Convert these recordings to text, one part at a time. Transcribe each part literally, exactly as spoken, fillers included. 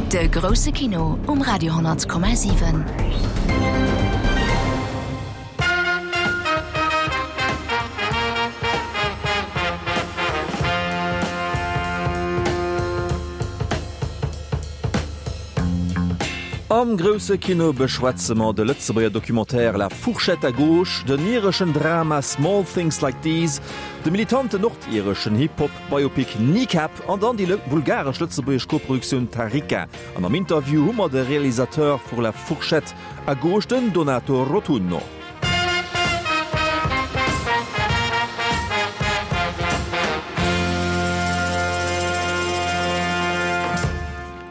De grousse Kino um Radio honnert Komma siwen. Am grousse Kino beschwätze mer de Lëtzebuerger Documentaire La fourchette à gauche, den ireschen Drama Small Things Like These, de militanten nordireschen Hip-Hop-Biopic Kneecap an dann déi bulgaresch-lëtzebuergesch Koproduktioun Tarika. An am Interview hu mer de Realisateur vu La fourchette à gauche, den Donato Rotunno.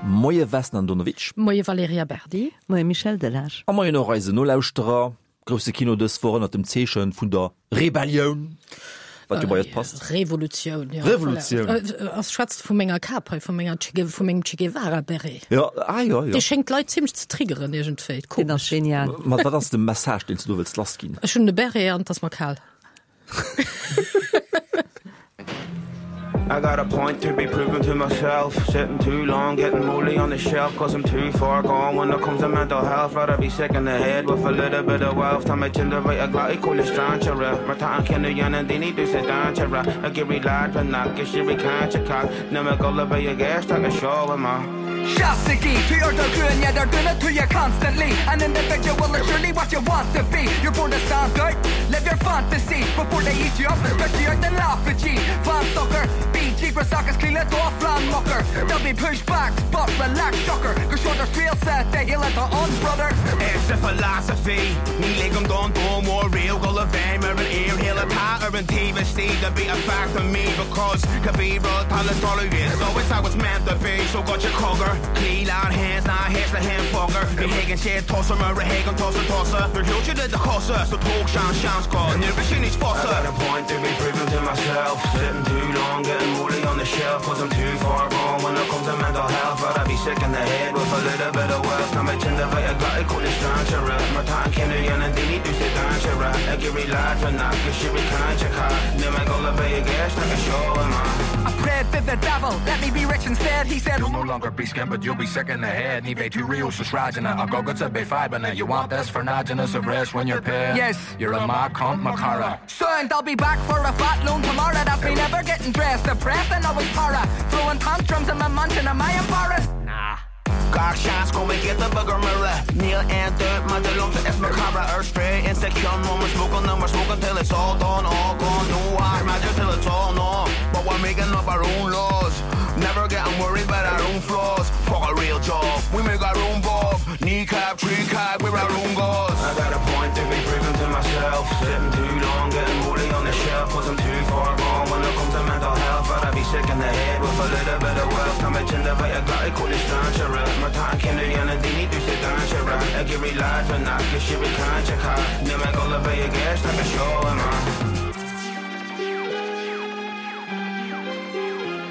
Moie Vesna Andonovic. Moie Valerija Berdi. Moie Michel Delage. A moien och eisen Nolauschterer. Grousse Kino dës Woch ënnert dem Zeeche vun der Rebellioun, wat jo bei eis passt. Revolutioun, jo. Revolutioun. Ass schwätzt vu menger Kap hei, vu menger Che, vu mengem Che Guevara Beret. Jo, ah jo, jo. Dee schéngt d'Leit zimmlech ze triggeren iergendwéi. Deen ass genial. Ma wat ass de Message, deen s du do wëlls lassginn? Ech hunn e Beret an et ass mer kal. I got a point to be proven to myself Sitting too long, getting moldy on the shelf Cause I'm too far gone when it comes to mental health Rather be sick in the head with a little bit of wealth Tá mé tinn de bheith ag glaoch chuile strainséara Mar tá an cinneadh a dhéanann daoine domhsa dainséarach Ag iarraidh leat nach is iarraidh caint a chaith Níl mé ag dul a bheith ag éisteacht leis seo amach. Seasaigí, tú ar do ghlúine ar duine tú constantly An individual is surely what you want to be You're born to stand out, live your fantasy Before they eat you up and spit you out and laugh at you Fan socair, bí díograiseach is cloí le do phlean mucker There'll be pushbacks, but relax shocker Gur seo do thriailsa, do shaol atá ann brother. Arsa philosophy, Ní ligim don domhan mór riamh dul i bhfeidhm ar an fhíorshaol atá ar an taobh istigh to be a fact to me because cibé rud atá le tarlú it's always how it's meant to be so goitse cogar Cloígh leat féin 's ná héist le haon fugger Ní thuigeann siad tusa mar a thuigeann tusa tusa Nuair shiúil siad i do chosa so tóg seans seans go n-éireoidh sé níos fusa. I got a point to be proven to myself Sitting too long getting woolly on the shelf Cause I'm too far gone when it comes to mental health Rather be sick in the head with a little bit of wealth Tá mé tinn de bheith ag glaoch chuile strainséara Mar tá an cinneadh a dhéanann daoine domhsa dainséarach Ag iarraidh leat nach is iarraidh caint a chaith Níl mé ag dul a bheith ag éisteacht leis seo amach. I prayed to the devil, let me be rich instead He said, You'll no longer be skint but you'll be sick in the head Ní bheidh tú riamh sna sráideanna ach agatsa beidh fadhbanna You want this for náideanna sa bhreis when you're paid Yes. You're a mad cunt mo chara. Soon I'll be back for a fat loan tomorrow That's me never getting dressed, depressed and always para Throwing tantrums in my mansion, am I embarrassed? Nah. Gach seans go mbeidh giota beag ar mire Níl aon dabht maidir liomsa is mo chara Ar strae insa cheann while we're smoking and we're smoking till it's all done all gone No art magic till it's all numb But we're making up our own laws Never getting worried about our own flaws Fuck a real job, we make our own bob Kneecap, tree cap, we're our own gods I got a point to be proven to myself Sitting too long, getting woolly on the shelf Cause I'm too far gone when it comes to mental health Rather be sick in the head with a little bit of wealth Tá mé tinn de bheith ag glaoch chuile strainséara Mar tá an cinneadh a dhéanann daoine domhsa dainséarach Ag iarraidh leat nach is iarraidh caint a chaith Níl mé ag dul a bheith ag éisteacht leis seo amach.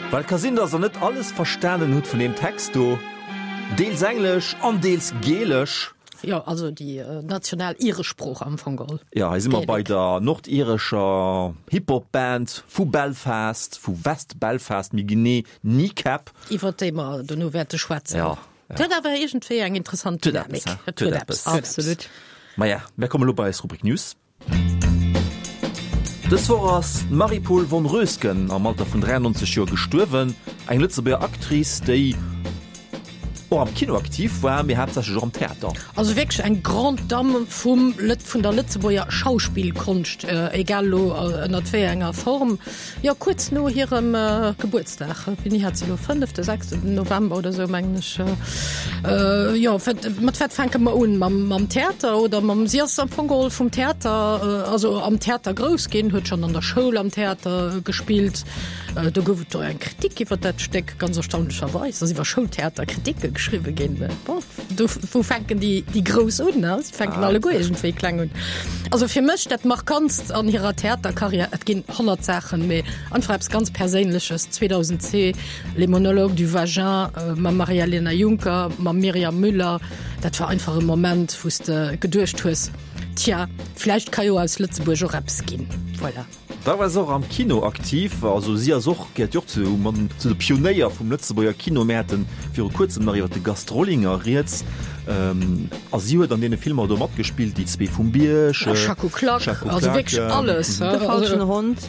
Well et ka sinn, dass der net alles verstanen hutt vun deem Text do, deels Englesch an deels Gälesch. Jo, also déi national iresch Sprooch am Fong geholl. Jo, hei si mer bei der nordirescher Hip-Hop-Band vu Belfast, vu West Belfast méi genee, Kneecap. Iwwer déi mer dono wäerte schwätzen. Jo, jo. Et huet awer iergendwéi eng interessant Dynamik. Et huet eppes, he? Et huet eppes. Absolut. Maja, mir kommen elo bei eis Rubrik News. Dës Woch ass d'Marie-Paule von Roesgen am Alter vun dräiannonzeg Joer gestuerwen, eng Lëtzebuerger Actrice, déi och am Kino aktiv war, mee haaptsächlech och am Theater. Also wierklech eng Grande Dame vum, vun der Lëtzebuerger Schauspillkonscht, egal elo ënnert wéi enger Form. Jo, kuerz no hirem Gebuertsdag, wéini hat se elo, fënnefte, sechsten November oder esou, mengen ech. Jo, mat wat fänke mer un? Mam, mam Theater oder mam, si ass am Fong geholl vum Theater, also am Theater grouss ginn, huet schonn an der Schoul am Theater gespillt. Do gouf et och eng Kritik iwwer dat Stéck, ganz erstaunlecherweis ass iwwer Schoultheater Kritike geschriwwe ginn. Bon, do, wou fänken déi, déi Grouss un, ne? Si fänken alleguer iergendwéi kleng un. Also fir mech dat Markantst an hirer Theaterkarriär, et ginn honnert Saachen, mee einfach eppes ganz Perséinleches, zweedausendzwee, Les monologues du vagin mam Maria-Lena Junker, mam Myriam Müller, dat war einfach e Moment, wou s de geduecht hues, Tja, vläicht ka jo aus Lëtzebuerg och eppes ginn. Voilà. Da war se och am Kino aktiv, also si ass och, gehéiert jo och zu man zu de Pionéier vum Lëtzebuerger Kino. Mir haten viru kuerzem nach iwwer de Gast Rollinger rieds, a si huet an deene Filmer do matgespillt, Déi zwee vum Bierg, Schacko Klak, Schacko also Klak, wierklech alles, De falschen Hond.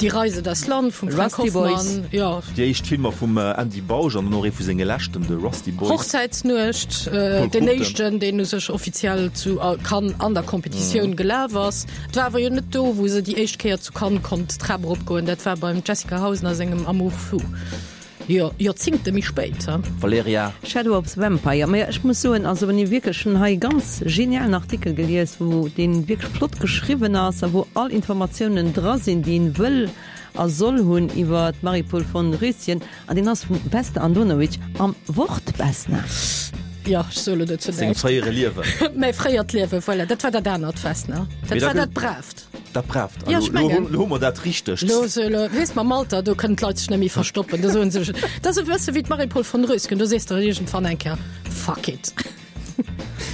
Die Reise das Land vum Frank Rusty Boys. Hoffmann, jo. Déi éischt Filmer vum Andy Bausch an dann och ee vu senge leschten, de Rusty Boys. Hochzäitsnuecht, Paul deen Cruchten. éischten, deen u sech offiziell zu Cannes an der Competitioun gelaf ass. Et war awer jo net do, wou se déi éischt Kéier zu Cannes konnt d'Trap eropgoen, dat war beim Jessica Hausner sengem Amour fou, jo, Joerzingte méi spéit. Valerija. Shadow of the Vampire, Majo, ech muss soen, also wann ee wierklech, hunn hei e ganz genialen Artikel gelies, wou deen wierklech flott geschriwwen ass a wou all Informatiounen dra sinn, déi een wëll a soll hunn iwwer d'Marie-Paule von Röschen, an deen ass vum Vesna Andonovic am Wort Vesna. Jo, ech soe lo dozou Sengem näischt. fréiere Liewen. Mäi fréiert Liewen, voilà, dat war dat anert Vesna. Dat Mee da war gëtt dat Braavt. Dat Braavt. Ja, Elo, ech mengen. elo hu mer dat Richtegt. Lo, so, lo, weess, mam Alter, do kënnen d'Leit sech net méi verstoppen. Do soen se sech, dat ass e bësse wéi d'Marie-Paule von Rösken, do sees de iergendwann eng Kéier, Fuck it.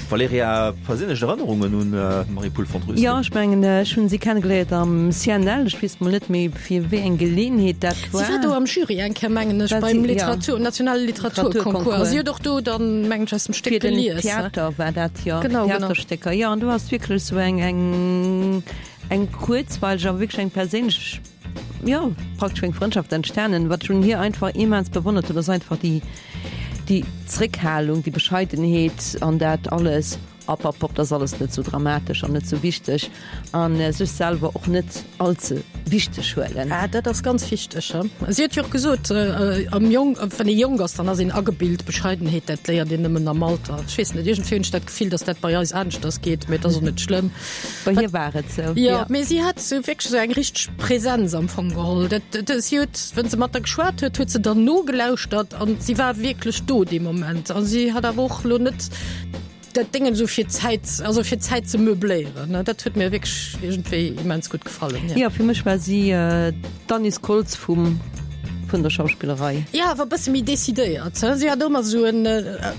Valerija, perséinlech Erënnerungen un d'Marie-Paule von Rösken? Jo, ech mengen, ech hunn si kennegeléiert am C N L. Ech weess mol net méi, fir wéi eng Geleeënheet dat war. Si war do am Jury eng Kéier, mengen ech, War beim si, ja. Literatur, nationale Literaturconcours. Literaturconcours. Si huet och do dann, mengen ech, aus dem Stéck Fir den gelies. Theater war dat, jo. Genau, genau. Theaterstécker. Jo, an do ass wierklech esou eng, eng, eng kuerzweileg, awer wierklech eng perséinlech, jo, praktesch eng Frëndschaft entstanen. Wat ech un hir einfach immens bewonnert hunn, ass einfach déi, déi Zréckhalung, déi Bescheidenheet an dat alles, App, app, app, dat ass alles net sou dramatesch an net sou wichteg an sech selwer och net all ze wichteg huelen. Ah, dat ass ganz wichteg. Si huet jo och gesot, am Jong, wann ee jonk ass, dann ass een agebilt, Bescheidenheet, dat léiert een nëmmen am Alter. Ech weess net, iergendwéi hunn ech dat Gefill, datt dat bei eis aneschters geet, mee et ass och net schlëmm. Bei hir war et sou, Jo, jo. mee si hat sou wierklech sou eng richteg Präsenz am Fong geholl. Dat, dat, si huet, wann se mat der geschwat huet, huet se der nogelauschtert an si war wierklech do dee Moment. A si hat awer och elo net dat Déngen esou fir Zäit, also fir Zäit ze meubléieren, ne. Dat huet mir wierklech iergendwéi immens gutt gefallen, jo. Jo, fir mech war si d'Annice Koltz vum, vun der Schauspillerei. Jo, awer e bësse méi decidéiert, he. Si hat ëmmer esou en,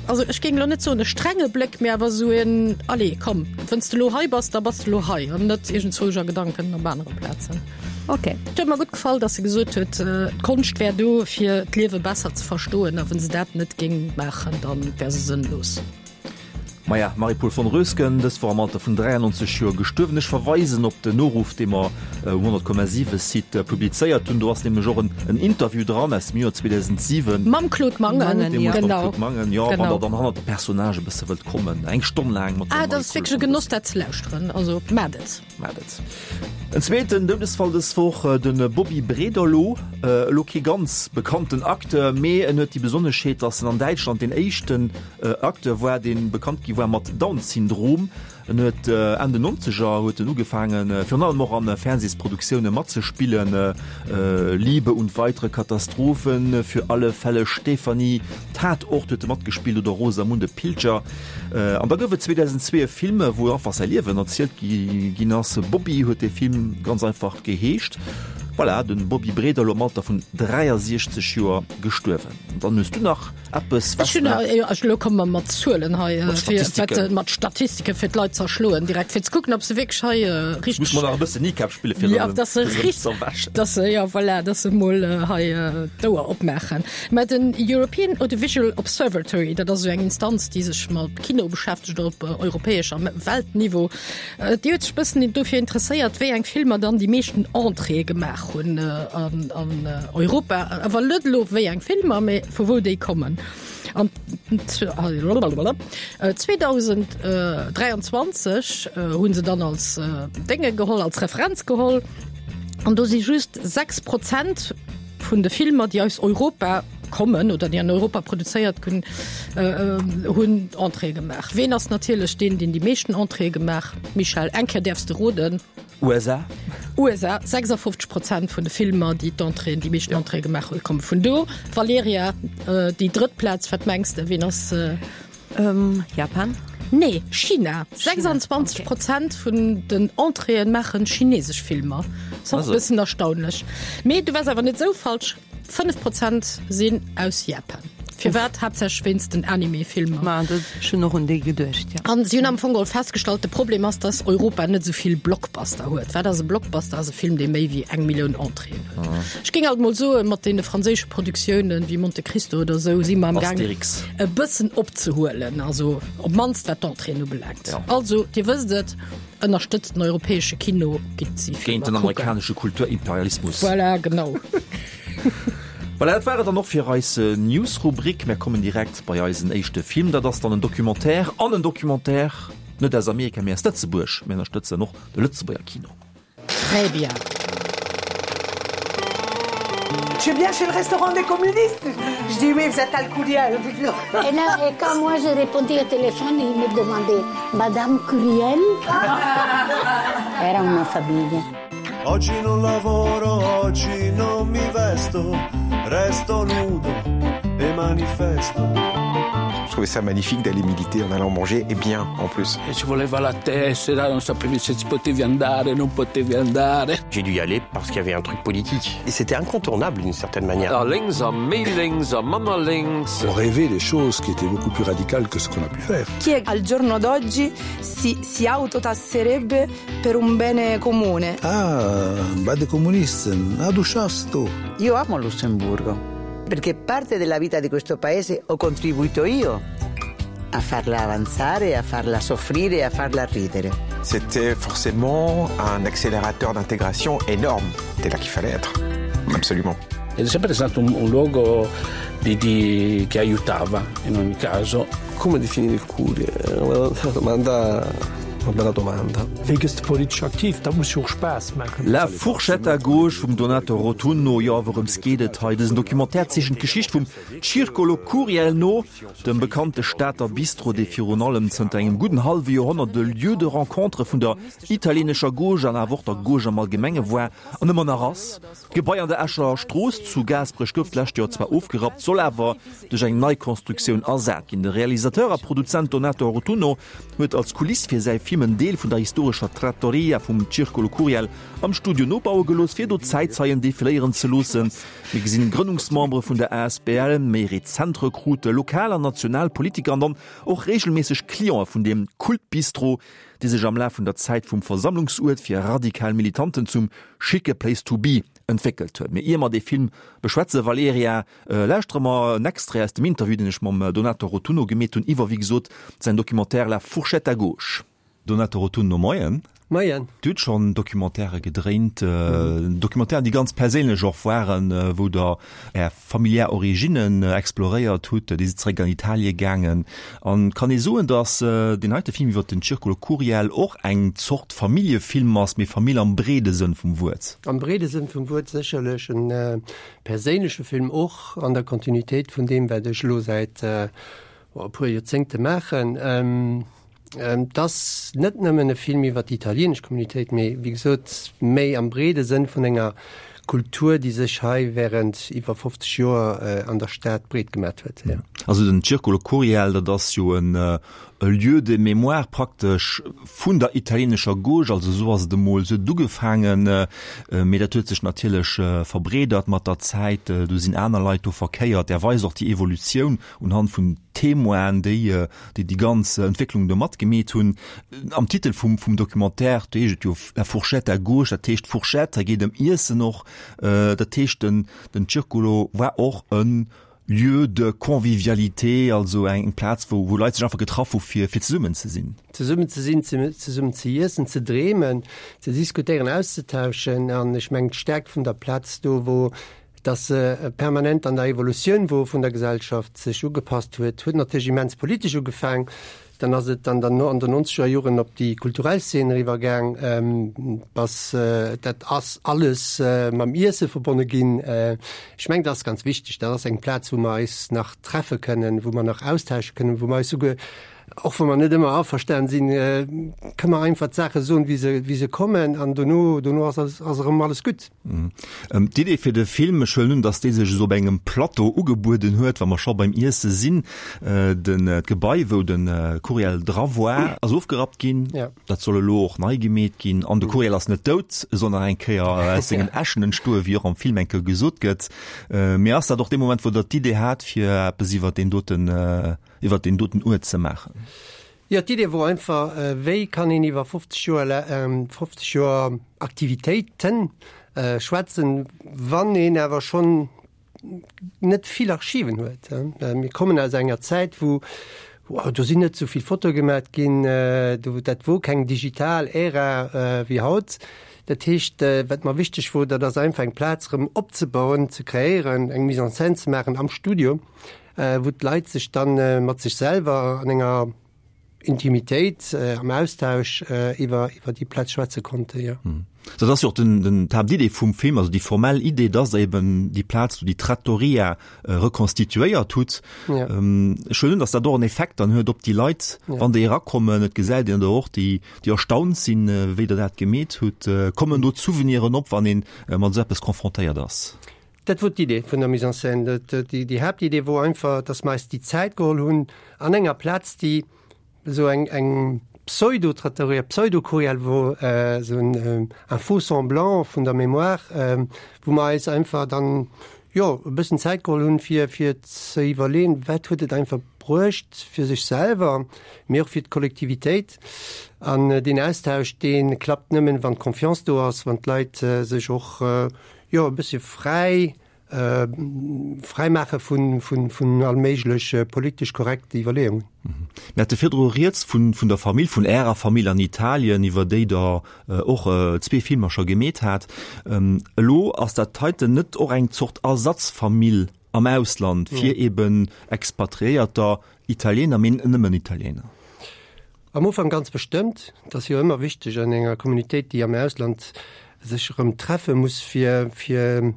also ech géing elo net soen e strenge Bléck, mee awer esou en, allez, komm, wann s de elo hei bass, da bass de elo hei an net iergendzwousch a Gedanken op anere Plazen. Ok. Et huet mer gutt gefall, dass se gesot huet, d'Konscht wär do, fir d'Liewe besser ze verstoen, a wa se dat net géing maachen, da wär se sënnlos. Maja, Marie-Paule von Rösken, dës Woch am Alter vun dräiannonzeg Joer gestuerwen. Ech verweisen op den Noruff, dee mer um honnert Komma siwe Site publizéiert hunn. Do ass nämlech och en Interview dran aus dem Joer zweedausentsiwen Mam Claude Mangen, Deemools mam genau. Claude Mangen, jo, wann Genau. der dann hannert de Personnage e bësse wëllt kommen, eng Stonn laang mat der Ah, dat ass Marie-Paule wierklech e von Genoss, Rösken. dat ze lauschteren. Also, maacht et. Maacht et. En zweeten Doudesfall dës Woch, de Bobby Brederlow. Elo kee ganz bekannten Acteur, mee en huet déi Besonneschheet, datt en an Däitschland deen éischten Acteur war, dee bekannt gi war mat Down-Syndrom. En huet Enn den Nonzeger huet en ugefaangen, virun allem och an Fernsehsproduktioune matzespillen, Liebe und weitere Katastrophen, Für alle Fälle Stefanie, Tatort huet e matgespillt oder Rosamunde Pilcher. An da gouf et zweedausendzwee e Film, wou einfach säi Liewen erzielt ginn ass. Bobby huet dee Film ganz einfach geheescht. Voilà, de Bobby Brederlow am Alter vun dräiasiechzeg Joer gestuerwen. An dann hues du nach eppes, Ech hunn Vesna? nach, jo, ech, elo komme mer mat Zuelen hei, Mat fir, Statistiken. wat, mat Statistike fir d'Leit ze erschloen direkt, fir ze kucken, ob se wierklech hei Jetzt muss richteg. mer nach e bëssen Kneecap spille fir Ja, se dass se fir se richt, ze erwächen. dass se, ja, voilà, dass se mol hei d'Ouer opmaachen. Mä den European Audiovisual Observatory, dat ass esou eng Instanz, déi sech mat Kino beschäftegt op europäesch a Weltniveau, déi huet sech bëssen dofir interesséiert, wéi eng Filmer dann déi meeschten Entréeë gemaach hunn an an Europa, awer net elo wéi eng Filmer, mee vu wou déi kommen. An zweedausenddräianzwanzeg hu se dann als Dénge geholl, als Referenz geholl, an do si just sechs Prozent vun de Filmer, déi aus Europa kommen oder déi an Europa produzéiert ginn, hunn Entréeë gemaach. Ween ass natierlech deen, deen déi meeschten Entréeë gemaach? Michèle, eng Kéier däerfs de roden. U S A. U S A, sechsafofzeg Prozent vun de Filmer, déi d'Entréeën, déi meeschten Entréeë gemaach hunn, komme vun do. Valerija, déi drëtt Plaz, wat mengs de, ween ass? Japan? Nee, China. sechsanzwanzeg Prozent vun den Entréeën maachen chinesesch Filmer. Ass och e bëssen erstaunlech. Mee du waars awer net esou falsch, fënnef Prozent sinn aus Japan. Firwat? Haaptsächlech wéinst den Anime-Filmer. Ma dat, ech hunn och un déi geduecht, jo. An si hunn am Fong geholl festgestallt, de Problem ass, dass Europa net esou vill Blockbuster huet. Wat ass e Blockbuster? Ass e Film, dee méi wéi eng Millioun Entréeën huet. Ech géing alt mol soen, mat deene franséische Produktiounen wéi Monte Cristo oder esou si mer am Gaang, Astérix. e bëssen opzehuelen, also op d'mannst wat d'Entréeën ubelaangt. Ja. Also, Dir wësst et, ënnerstëtzt den europäesche Kino, gitt si Géint den Filmer kucken. amerikanesche Kulturimperialismus. Voilà, genau. Voilà, dat war et dann och fir eis News-Rubrik. Mär kommen direkt bei eisen éischte Film. Dat ass dann en Documentaire, an en Documentaire net aus Amerika, mee aus Lëtzebuerg. Mir ënnerstëtzen och de Lëtzebuerger Kino. Très bien. Tu es bien chez le restaurant des communistes? Je dis oui, vous êtes al Curiel. Et là, et quand moi j'ai répondu au téléphone, il me demandait Madame Curiel? Era una famiglia. Oggi non lavoro, oggi non mi vesto, resto nudo e manifesto. Je trouvais ça magnifique d'aller militer en allant manger, et bien en plus. E ci voleva la tessera, non sapevi se ci potevi andare, non potevi andare. J'ai dû y aller parce qu'il y avait un truc politique. Et c'était incontournable d'une certaine manière. A lénks a méi lénks a manner lénks. On rêvait des choses qui étaient beaucoup plus radicales que ce qu'on a pu faire. Chi al giorno d'oggi si, si autotasserebbe per un bene comune? Ah, bei de Kommunisten, ah, du schaffst du. Io amo Lussemburgo perché parte della vita di questo paese ho contribuito io a farla avanzare, a farla soffrire, a farla ridere. C'était forcément un accélérateur d'intégration énorme. C'était là qu'il fallait être. Absolument. Ed è sempre stato un, un luogo di, di, che aiutava in ogni caso. Come definire il Curiel? È una domanda una bella domanda. Wéi gëss de politesch aktiv? Dat muss jo och Spaass maachen. La fourchette à gauche vum Donato Rotunno. Jo, wourëms geet et hei? Dësen Documentaire zeechent d'Geschicht vum Circolo Curiel no, dem bekannte Stater Bistro, dee virun allem zënter engem gudden hallwe Joerhonnert de Lieu de rencontre vun der italieenescher Gauche an awer och der Gauche am Allgemenge war an ëmmer nach ass. D'Gebai an der Escher Strooss zu Gaasperech gouf d'lescht Joer zwar ofgerappt, soll awer duerch eng nei Konstruktioun ersat ginn. De Realisateur a Produzent Donato Rotunno huet als Kuliss fir säi Film en Deel vun der historescher Trattoria vum Circolo Curiel am Studio nobaue gelooss, fir do Zäitzeien defiléieren ze loossen. Mir gesinn Grënnungsmembere vun der asbl, méi rezent Rekrutte, lokal an national Politiker an dann och reegelméisseg Clientë vun deem Kultbistro, dee sech am Laf vun der Zäit vum Versammlungsuert fir radikal Militanten zum schicke Place to be entwéckelt huet. Mee ier mer dee Film beschwätzen, Valerija, lauschtere mer en Extrait aus dem Interview, deen ech mam Donato Rotunno gemeet hunn iwwer, wéi gesot, säin Documentaire La fourchette à gauche. Donato Rotunno, Moien. Moien. Dir hutt schonn Documentairë gedréint, Documentairen, déi ganz perséinlech och waren, wou Der Är familiär Originnen exploréiert hutt. Dir sidd zeréck an Italie gaangen. An kann ee soen, datt deen heite Film iwwer den Circolo Curiel och eng Zort Familljefilm ass, mee Famill am breede Sënn vum Wuert? Am breede Sënn vum Wuert sécherlech. En perséinleche Film och an der Kontinuitéit vun deem, wat ech elo säit e puer Joerzéngte maachen. Et ass net nëmmen e Film iwwer déi italieenesch Communitéit, mee wéi gesot méi am breede Sënn vun enger Kultur, déi sech hei wärend iwwer fofzeg Joer an der Stad breet gemat huet. Also den Circolo Curiel, dat ass jo en Lieu de mémoire praktesch vun der italieenescher Gauche, also esou ass et emol, esou huet et ugefaangen, mee dat huet sech natierlech verbreedert mat der Zäit, do sinn aner Leit do verkéiert. Där weist och déi Evolutioun unhand vun Témoinen, déi déi déi ganz Entwécklung do matgemeet hunn. Am Titel vum vum Documentaire, do heescht et jo La fourchette à gauche, dat heescht Fourchette, hei geet ëm Iessen och, dat heescht den den Circolo war och e Lieu de convivialité, also eng Plaz wou wou Leit sech einfach getraff hu fir fir zesummen ze sinn. Zesummen ze sinn, zesummen ze iessen, ze dreemen, ze diskutéieren, auszetauschen an ech mengen d'Stäerkt vun der Plaz do wor, dass se permanent an der Evolutioun wor vun der Gesellschaft, sech ugepasst huet, huet natierlech immens politesch ugefaang, dann ass et an der an den nonzeger Joren op déi kulturell Szene eriwwer gaang, bass dat ass alles mam Iesse verbonne ginn. Ech mengen, dat ass ganz wichteg, dat ass eng Plaz, wou mer eis nach treffe kënnen, wou mer nach austausche kënnen, wou mer eis souguer Och wa mer net ëmmer averstanen sinn, kënne mer einfach d'Saache soen, wéi se, wéi se kommen, an dono, dono ass alles, ass erëm alles gutt. D'Idee fir de Film, ech huelen un, datt dee sech esou op engem Plateau ugebueden huet, wa mer scho beim Iesse sinn, den, d'Gebai, wou de Curiel dra war, ass ofgerappt ginn. Dat soll elo och nei gemeet ginn. An de Curiel ass net dout, e soll nach eng Kéier aus sengen Äschen entstoen, wéi och am Film eng Kéier gesot gëtt. Mee ass dat och dee Moment, wou Der d'Idee hat, fir eppes iwwer deen doten, iwwer deen doten Uert ze maachen? Jo, d'Idee wor einfach, wéi kann een iwwer fofzeg Joer, fofzeg Joer Aktivitéiten schwätzen, wann een awer schonn net vill Archiven huet. Mir kommen aus enger Zäit, wou, do sinn net esou vill Fotoe gemat ginn, do, dat wor keng digital Ära wéi haut. Dat heescht, wat mer wichteg wor, dat ass einfach eng Plaz erëm opzebauen, ze kreéieren, eng Mise en scène ze maachen am Studio, wou d'Leit sech dann mat sech selwer an enger Intimitéit, am Austausch iwwer iwwer déi Plaz schwätze konnten, jo. Dat ass jo och den, den, d'Haaptidee vum Film, also déi formell Idee, dass Der eben déi Plaz do, déi Trattoria, rekonstituéiert hutt. Ech huelen un, dass dat och en Effekt dann huet op déi Leit, wann déi erakommen. Et gesäit een der och, déi, déi erstaunt sinn, wéi Der dat gemeet hutt. Kommen do d'Souveniren op, wann ee mat esou eppes confrontéiert ass? Dat wor d'Idee vun der Mise en scène. Déi Haaptidee wor einfach, dass mer eis déi Zäit geholl hunn an enger Plaz, déi esou eng, eng Pseudo-Trattoria, Pseudo-Curiel wor, esou en un faux-semblant vun der Mémoire, wou mer eis einfach dann, jo, e bëssen Zäit geholl hunn, fir, fir ze iwwerleeën, wat huet et einfach bruecht fir sech selwer, mee och fir d'Kollektivitéit. An deen Austausch, dee klappt nëmmen, wann d'Confiance do ass, wann d'Leit sech och, jo, e bëssche fräi, fräi maache vun, vun, vun all méiglech politesch korrekte Iwwerleeungen. Mir hate virdru rieds vun, vun der Famill, vun Ärer Famill an Italien, iwwer déi Der och zwee Filmer scho gemeet hat. Elo ass dat heiten net och eng Zort Ersatzfamill am Ausland fir eben Expatriéierter, Italiener, mee net nëmmen Italiener? Am Ufank ganz bestëmmt. Et ass jo ëmmer wichteg an enger Communautéit, déi am Ausland sech erëm treffe muss, fir, fir,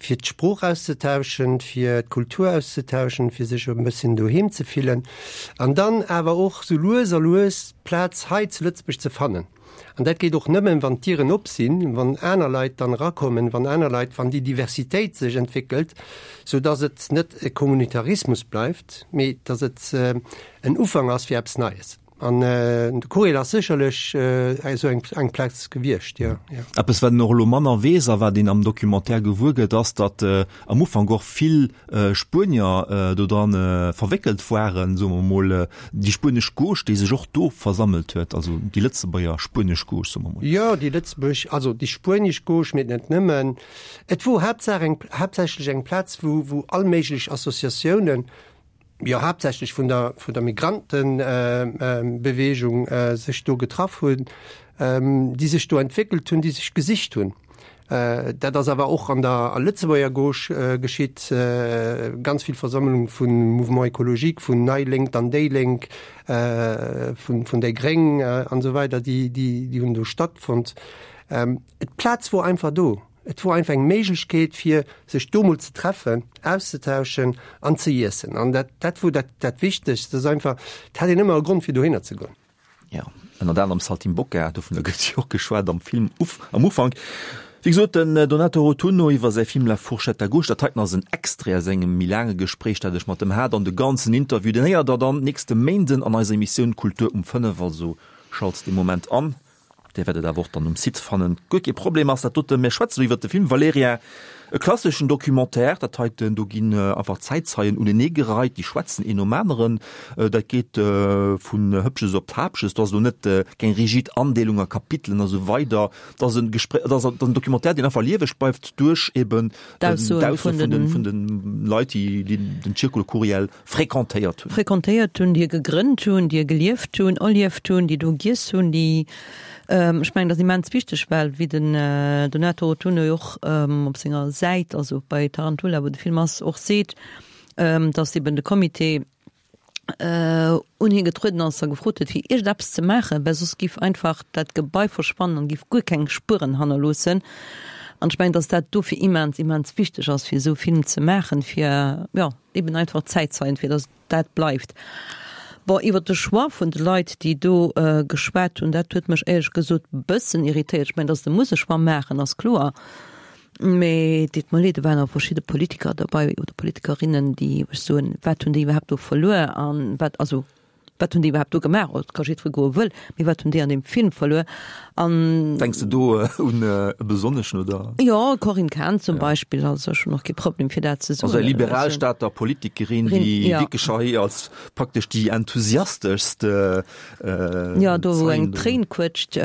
fir d'Sprooch auszetauschen, fir d'Kultur auszetauschen, fir sech e bësschen doheem ze fillen an dann awer och sou lues a lues d'Plaz hei zu Lëtzebuerg ze fannen. An dat geet och nëmmen, wann d'Dieren op sinn, wann aner Leit dann erakommen, wann aner Leit, wann déi Diversitéit sech entwéckelt, sou dass et net e Kommunitarismus bleift, mee dass et en Ufank ass fir eppes Neies. An de Courriel ass sécherlech esou eng Plaz gewiescht, jo. Eppes, wat een och elo manner weess a wat een am Documentaire gewuer gëtt, ass, datt am Ufank och vill Spuenier dodran verwéckelt waren, soe mer emol, déi spuenesch Gauche, déi sech och do versammelt huet, also déi Lëtzebuerger spuenesch Gauche, soe mer emol. Jo, déi Lëtzebuerg, also déi spuenesch Gauche, mee net nëmmen. Et wor haaptsaach eng, haaptsächlech eng Plaz, wou, wou all méiglech Associatiounen, jo haaptsächlech vun der vun der Migrantenbewegung sech do getraff hunn, déi sech do entwéckelt hunn, déi sech gesicht hunn. Dat ass awer och an der Lëtzebuerger Gauche geschitt, ganz vill Versammlung vun Mouvement écologique, vun Nei Lénk an déi Lénk, vun vun déi Gréng an esou weider, déi déi hunn do stattfonnt. D'Plaz wor einfach do. Et wor einfach eng Méiglechkeet fir sech do mol ze treffen, auszetauschen an ze iessen. An dat, dat wor dat, dat Wichtegst, dass einfach, et hat een ëmmer e Grond fir dohinner ze goen. Jo, ënnert anerem Saltimbocca, dovunner gëtt jo och geschwat am Film uf, am Ufank. Wéi gesot, den Donato Rotunno iwwer säi Film La fourchette à gauche. Dat heiten ass en Extrait aus engem méi laange Gespréich, dat ech mat em hat. An de ganzen Interview, deen héiert der dann nächste Méinden an eiser Emissioun Kultur um fënnef. Also schalt dee Moment an. Dir wäert et awer och dann um Site fannen. Guer kee Problem ass dat doten. Mir schwätzen elo iwwert de Film Valerija, e klasseschen Documentaire. Dat heiten, do ginn einfach Zäitzeien uneneegereit, déi schwätzen een nom aneren. Dat geet vun Hëppches op d'Hapches. Do ass elo net keng rigid Andeelung a Kapitelen a sou weider. Dat ass e Gespr-, dat ass en Documentaire, deen einfach lieweg bleift duerch eben D'Aussoen vun de, vun de Leit, déi den Circolo Curiel fréquentéiert hunn. Fréquentéiert hunn, déi e gegrënnt hunn, déi e gelieft hunn, erlieft hunn, déi do giess hunn, déi Ech mengen, dat ass immens wichteg, well wéi den Donato Rotunno jo och op senger Säit, also bei Tarantula, wou de Film ass, och seet, datt eben de Comité un hie getrueden ass a gefrot huet, fir iergendeppes ze maachen, well soss géif einfach dat Gebai verschwannen an géif guer keng Spueren hannerloossen. An ech mengen, datt dat dofir immens, immens wichteg ass, fir esou e Film ze maachen, fir, jo, eben einfach Zäitzeien, fir datt dat bleift. Bon, iwwer de Choix vun de Leit, déi do geschwat hunn, dat huet mech éierlech gesot bëssen irritéiert. Ech mengen, datt se musse Choix maachen, ass kloer. Mee deet mer leed, do waren och verschidde Politiker derbei oder Politikerinnen, déi, ech soen, wat hunn déi iwwerhaapt do verluer an wat, also wat hunn déi iwwerhaapt do gemaach? Et ka jiddweree goe wëll, mee wat hunn déi an deem Film verluer? An. Denks de do un e besonneschen oder? Jo, Corinne Cahen zum Beispill, also ech hunn och kee Problem fir dat ze soen. Also eng liberal Stater Politikerin, déi wierklech hei als praktesch déi enthusiasteschst. Jo, do wou eng Tréin quëtscht,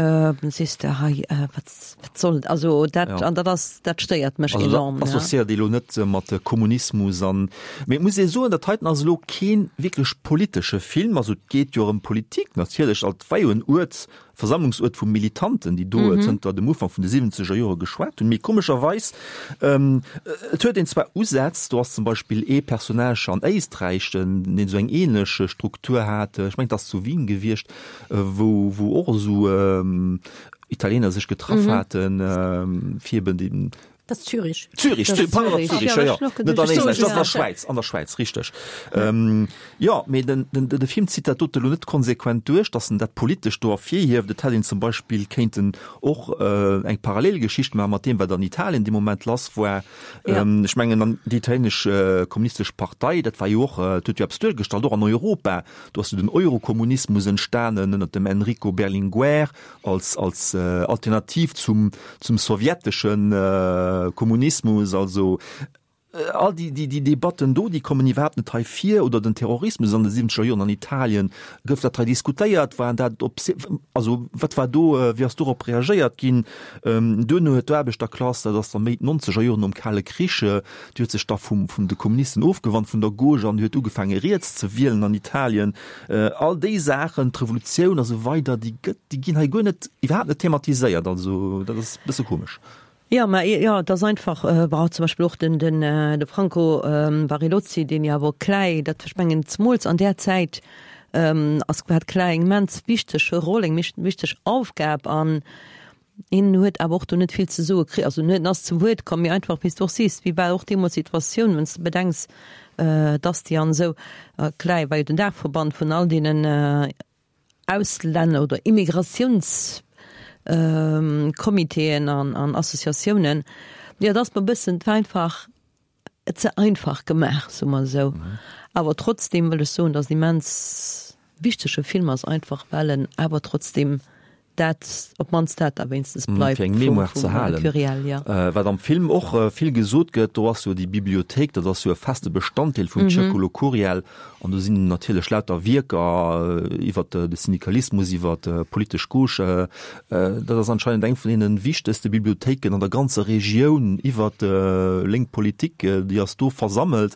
sees de, hei, wat. Wat soll, also dat, ja. an dat ass, dat stéiert mech also, enorm. Dat associéiert ja. elo net äh, mat Kommunismus an. Mee et muss ee soen, dat heiten ass elo keen wierklech politesche Film, also et geet jo ëm Politik natierlech, alt war jo en Uert, Versammlungsuert vu Militanten, déi do mhm. zënter dem Ufank vun de siwwenzeger Jore geschwat hunn. Mee komescherweis, ähm, et huet een zwar Usätz, do ass zum Beispill ee Personnage an Éisträich, den, deen esou eng ähnlech Struktur hat, ech mengen, et ass zu Wien gewiescht, äh, wou, wou och esou ähm, Italiener sech getraff haten, fir eben den. Dat ass Zürich. Zürich, pardon, Zürich, jo, jo. Net an Éisträich, dat ass an der Schwäiz, an der Schwäiz, richteg. Jo, mee den, den, de Film zitt dat dote lo net konsequent duerch, datt en dat Politescht do ervirhieft. Et hätt een zum Beispill kéinten och eng Parallelgeschicht maache mat deem, wat an Italien dee Moment lass war. Ech mengen, an déi italienesch kommunistesch Partei, dat war jo och, dat huet jo eppes duergestallt, och an Europa. Do ass jo den Eurokommunismus entstanen ënnert dem Enrico Berlinguer. als als Alternativ zum zum sowjeteschen Kommunismus, also all déi déi déi Debatten do, déi kommen iwwerhaapt net hei vir, oder den Terrorismus an de siwwenzeger Joren an Italien, gouf dat hei diskutéiert, waren dat op also wat war do, wéi ass dorop reagéiert ginn? Duerno huet d'Aarbechterklass, dat ass da méi d'nonzeger Joren nom Kale Krich, déi huet sech da vum vun de Kommunisten ofgewannt, vun der Gauche an huet ugefaange riets ze wielen an Italien. All déi Saachen, d'Revolutioun a sou weider, déi gëtt, déi ginn hei guer net, iwwerhaapt net thematiséiert. Also dat ass e bësse komesch. Jo, mä jo, et ass einfach, bon, zum Beispill och den, den, de Franco Barilozzi, deen jo awer Clai, dat, ech mengen, zemools an där Zäit ass, hat Clai eng immens wichteg Roll, eng wichteg Aufgab an Hien huet awer och do net vill ze soe kritt. Also en ass zu Wuert komm, mee einfach, wéi s de och sees, wéi war och deemools d'Situatioun, wann s de bedenks, dass déi an esou klei war jo den Daachverband vun all deenen Auslänner oder Immigratiounscomitéen an Associatiounen. Jo, et ass mer e bëssen, et war einfach ze einfach gemaach, soe mer esou. Awer trotzdeem wëll ech soen, dass et immens wichtege Film ass, einfach well en awer trotzdeem dat, op d'mannst dat da wéinstens bleift Fir eng vum, Mémoire ze vum halen. Curiel, ja. Wat am Film och vill gesot gëtt, do ass jo déi Bibliothéik, dat ass jo e feste Bestanddeel vum Circolo Curiel an do sinn natierlech lauter Wierker iwwer de Syndikalismus, iwwer d'politesch Gauche. Dat ass anscheinend eng vun deene wichtegste Bibliothéiken an der ganzer Regioun iwwer lénk Politik, déi ass do versammelt.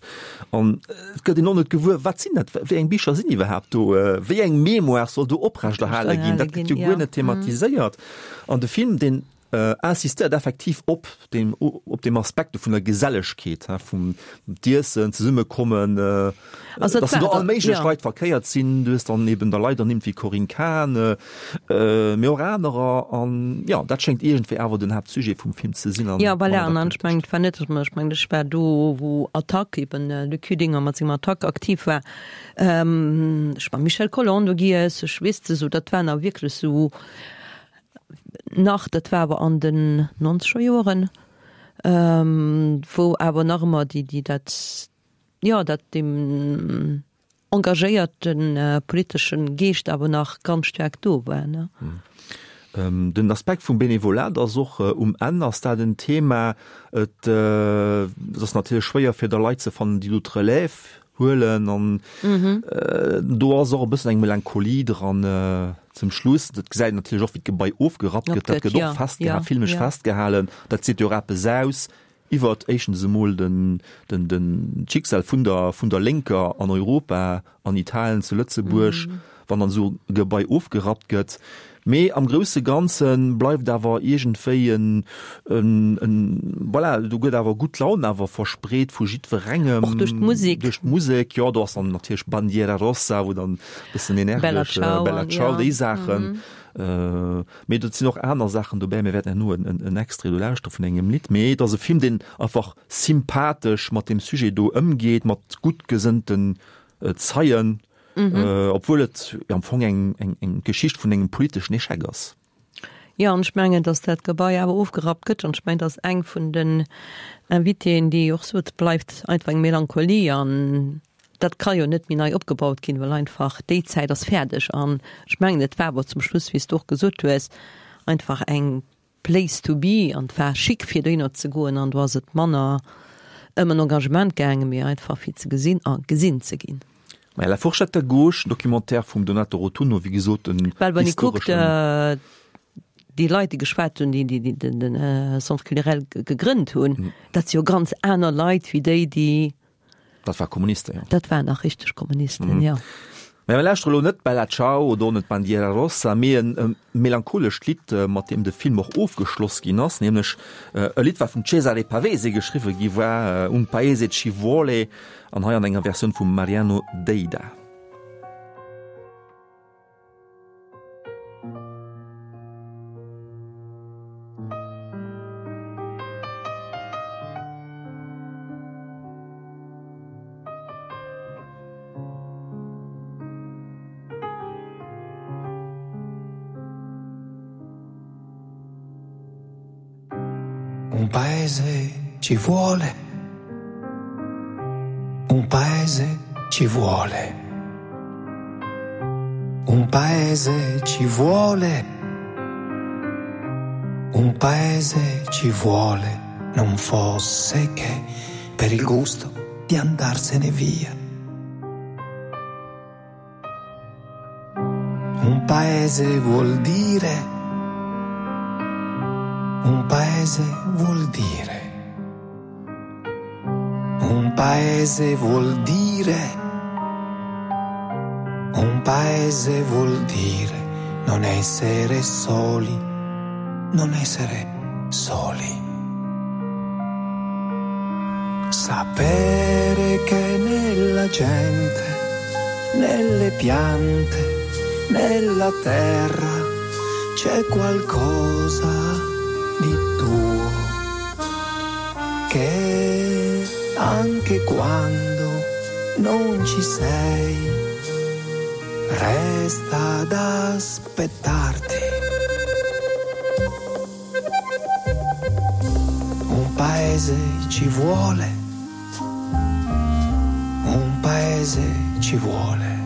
An et gëtt een och net gewuer, wat sinn dat, wéi eng Bicher sinn iwwerhaapt do, wéi eng Mémoire soll do oprechterhale ginn, dat gëtt jo guer net thematiséiert. An de Film, deen insistéiert effektiv op deem, op deem Aspekt vun der Gesellegkeet, vum d'Iessen, Zesummekommen, datt do all méiglech Leit verkéiert sinn. Du hues dann eben da Leit ernimmt wéi Corinne Cahen, mee och anerer. An jo, dat schéngt iergendwéi awer den Haaptsujet vum Film ze sinn. Jo, voilà, an ech mengen, et war net, ech mengen, ech war do, wou Attac, eben Luc Hüdinger mat sengem Attac aktiv war, ech mam Michel Collon do giess, ech weess de sou, dat waren a wierklech sou nach, dat war awer an den nonzeger Joeren, wou awer nach ëmmer déi, déi dat, jo, dat deem engagéierte politesche Geescht awer nach ganz staark do war, ne. Den Aspekt vum Benevolat ass och um Enn ass dat en Thema. Et ass natierlech schwéier fir da Leit ze fannen, déi do d'Relève huelen an do ass och e bëssen eng Melancholie dran zum Schluss. Dat gesäit een natierlech och, wéi d'Gebai ofgerappt gëtt. Dat gëtt och festgehalen, filmesch festgehalen. Dat seet jo och eppes aus iwwert éischtens emol den, den, den d'Schicksal vun der, vun der Lénker an Europa, an Italien, zu Lëtzebuerg, wann dann esou e Gebai ofgerappt gëtt. Mee am grousse Ganze bleift awer iergendwéi en, en, en, voilà, do gëtt awer gutt Laun awer verspreet vu jiddwerengem. Och duerch d'Musek. Duerch d'Musek, jo, do ass dann natierlech Bandiera Rossa, wou dann e bëssen Bella energesch, Ciao Bella an, Ciao, ja. déi Saachen. Mee do sinn och aner Saachen dobäi. Mir wäerten herno en, en Extrait do lauschtere vun engem Lidd. Mee et ass e Film, deen einfach sympathesch mat deem Sujet do ëmgeet, mat gutt gesënnten Zeien. Obwuel et am Fong eng eng eng Geschicht vun engem politeschen Echec ass. Jo, an ech mengen, datt dat Gebai awer ofgerappt gëtt. An ech mengen, datt eng vun den Invitéen, déi och sot, et bleift einfach eng Melancholie an dat ka jo net méi nei opgebaut ginn, well einfach déi Zäit ass fäerdeg. An ech mengen, et war awer zum Schluss, wéi s de och gesot hues, einfach eng Place to be an et war chic fir dohinner ze goen an do ass et manner ëm en Engagement gaangen, mee einfach fir ze gesinn a gesinn ze ginn. Maja, La fourchette à gauche, Documentaire vum Donato Rotunno, wéi gesot en Well wann ee kuckt, historeschen. déi Leit déi geschwat hunn, déi déi den den Centre culturel gegrënnt hunn, dat si jo ganz aner Leit wéi déi, déi. Dat war Kommunisten, jo. Dat waren nach richteg Kommunisten, jo. Mä mir lauschtere lo net Bella Ciao oder och net Bandiera Rossa, mee e melancholescht Lidd, mat deem de Film och ofgeschloss ginn ass, nämlech e Lidd, wat vum Cesare Pavese geschriwwe gi war, Un paese ci vuole, an hei an enger Versioun vum Mariano Deida. Un paese ci vuole. Un paese ci vuole. Un paese ci vuole. Un paese ci vuole, non fosse che per il gusto di andarsene via. Un paese vuol dire Un paese vuol dire. Un paese vuol dire. Un paese vuol dire non essere soli, non essere soli. Sapere che nella gente, nelle piante, nella terra c'è qualcosa di tuo che anche quando non ci sei resta ad aspettarti. Un paese ci vuole, un paese ci vuole,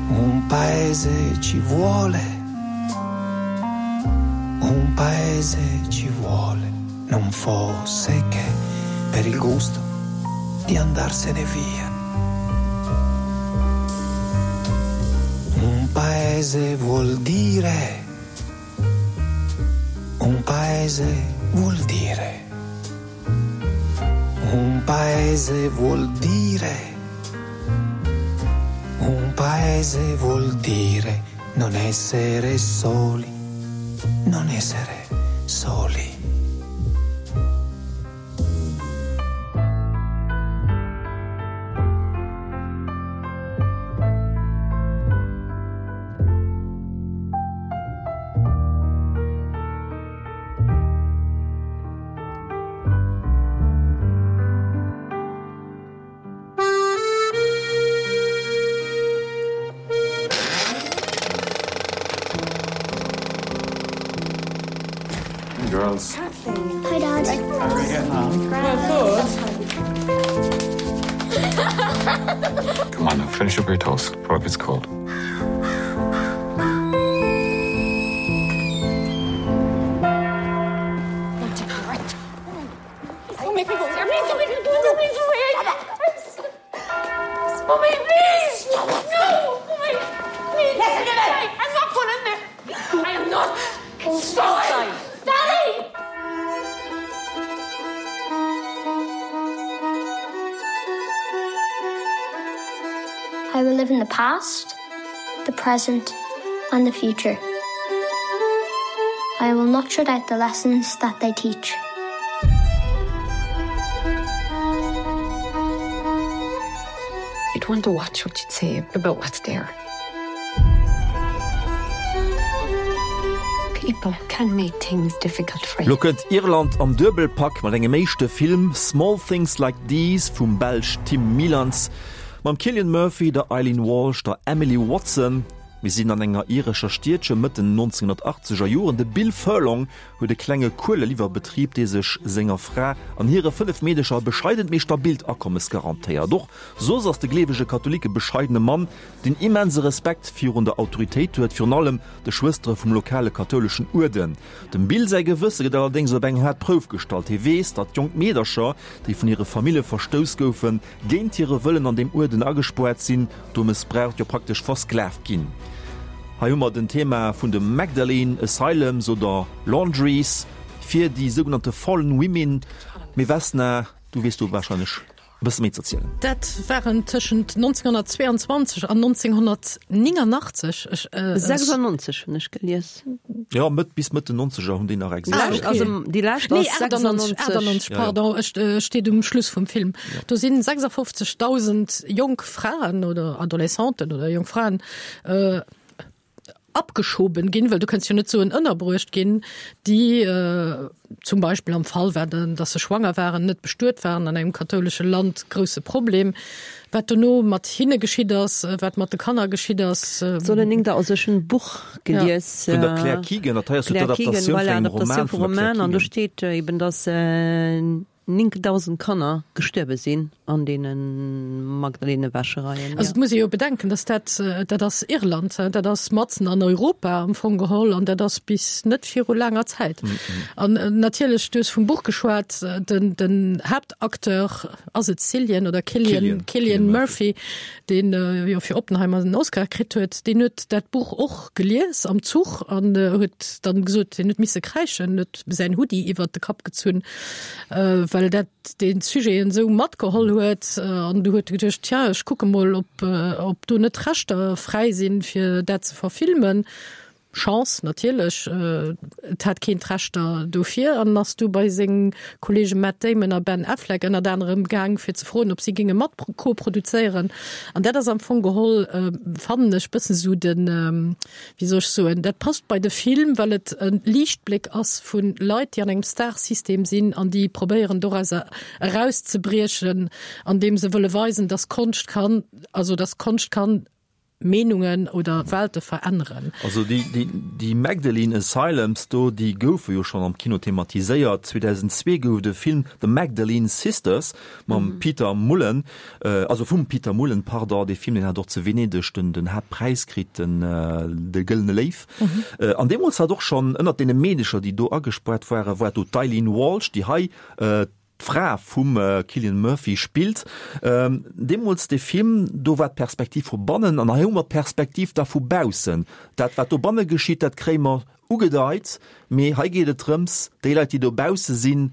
un paese ci vuole, un paese ci vuole, non fosse che per il gusto di andarsene via. Un paese vuol dire, un paese vuol dire, un paese vuol dire, un paese vuol dire non essere soli, non essere soli. Girls. Hi, Dad. How are we getting on? Well, Come on now, finish up your toast before it gets cold. I will live in the past, the present and the future. I will not shut out the lessons that they teach. You'd want to watch what you'd say about what's there. People can make things difficult for you. Lo kënnt Irland am Duebelpak mat engem éischte Film, Small Things Like These vum Belsch Tim Mielants. Mam Cillian Murphy, der Eileen Walsh, der Emily Watson. Mir sinn an enger irescher Stiedche Mëtt den nonzénghunnertachtzeger Joren. De Bill Furlong huet e klenge Kueleliwwerbetrib, dee sech senger Fra an hire fënnef Meedecher e bescheident, mee stabilt Akommes garantéiert. Och soss ass de gleewege Katholik e bescheidene Mann, deen immense Respekt virun der Autoritéit huet, virun allem de Schwëstere vum lokale kathouleschen Uerden. Dem Bill säi Gewësse gëtt allerdéngs op eng haart Prouf gestallt. Hie weess, datt jonk Meedercher, déi vun hire Famille verstouss goufen, géint hire Wëllen an deem Uerden agespoart sinn, do mëssbraucht, jo praktesch versklavt ginn. Hei hu mer den Thema vun de Magdalene Asylums oder Laundries fir déi sougenannte Fallen Women. Mee Vesna, du weess do warscheinlech e bësse méi z'erzielen. Dat waren tëschent nonzénghunnertzweeanzwanzeg an nonzénghunnertnénganachtzeg, ech. Sechsundneunzeg hunn ech gelies. Jo, Mëtt, bis Mëtt den Nonzeger hunn déi nach existéiert. Also déi lescht ass sechsundneunzeg. Nee, achtundneunzeg, pardon, ech steet um Schluss vum Film. Do sinn sechsundfünfzigtausend jonk Fraen oder Adolescenten oder jonk Fraen abgeschoben ginn, well du kënns jo net soen ënnerbruecht ginn, déi zum Beispill am Fall war, dass se schwanger waren, net bestuet waren, an engem kathoulesche Land grousse Problem, wat dono mat hinne geschitt ass, wat mat de Kanner geschitt ass. Sollen eng der, also ech hunn e Buch gelies. Vun der Claire Keegan, dat hei ass jo d'Adaptatioun vun engem Roman vun der Claire Keegan. An do steet eben, dass néngdausend Kanner gestuerwe sinn an deene Magdalenewäschereien. Also et muss ee jo bedenken, dass dat, dat ass Irland, dat ass matzen an Europa am Fong geholl an dat ass bis net viru laanger Zäit. An natierlech, du hues vum Buch geschwat, den, den Haaptacteur, ass et Cillian oder Cillian, Cillian Murphy, deen jo fir Oppenheimer den Oscar kritt huet, deen huet dat Buch och gelies am Zuch an huet dann gesot, hien huet misse kräischen, huet säin Hoodie iwwert de Kapp gezunn, well dat dee Sujet en esou matgeholl huet an du huet geduecht, tja, ech kucke mol, ob, ob do net d'Rechter fräi sinn, fir dat ze verfilmen. Chance natierlech, et hat keen d'Rechter dofir an ass du bei seng Kollege Matt Damon a Ben Affleck ënnert anerem gaang, fir ze froen, ob si géinge mat koproduzéieren. An dat ass am Fong geholl, fannen ech, bëssen esou den, wéi soll ech soen, dat passt bei de Film, well et e Liichtbléck ass vu Leit, déi an engem Starsystem sinn an déi probéieren dorauser erauszebriechen, andeem se wëlle weisen, dass Konscht kann, also dass Konscht kann Meenungen oder Welte veränneren. Also déi, déi, déi Magdalene Asylums do, déi goufe jo schonn am Kino thematiséiert. zweedausendzwee gouf et e Film The Magdalene Sisters mam Peter Mullan, also vum Peter Mullan, pardon. Dee Film, deen hat och zu Venedeg den, den Haaptpräis kritt, den De gëllene Léiw. An deemools hat och schonn ënnert deene Meedecher, déi do agespaart waren, war do d'Eileen Walsh, déi hei d'Fra vum Cillian Murphy spillt. Deemools dee Film, do war d'Perspektiv vu bannen an hei hu mer d'Perspektiv da vu baussen. Dat, wat dobanne geschitt, dat kréie mer ugedeit, mee hei geet et drëms, déi Leit, déi dobausse sinn,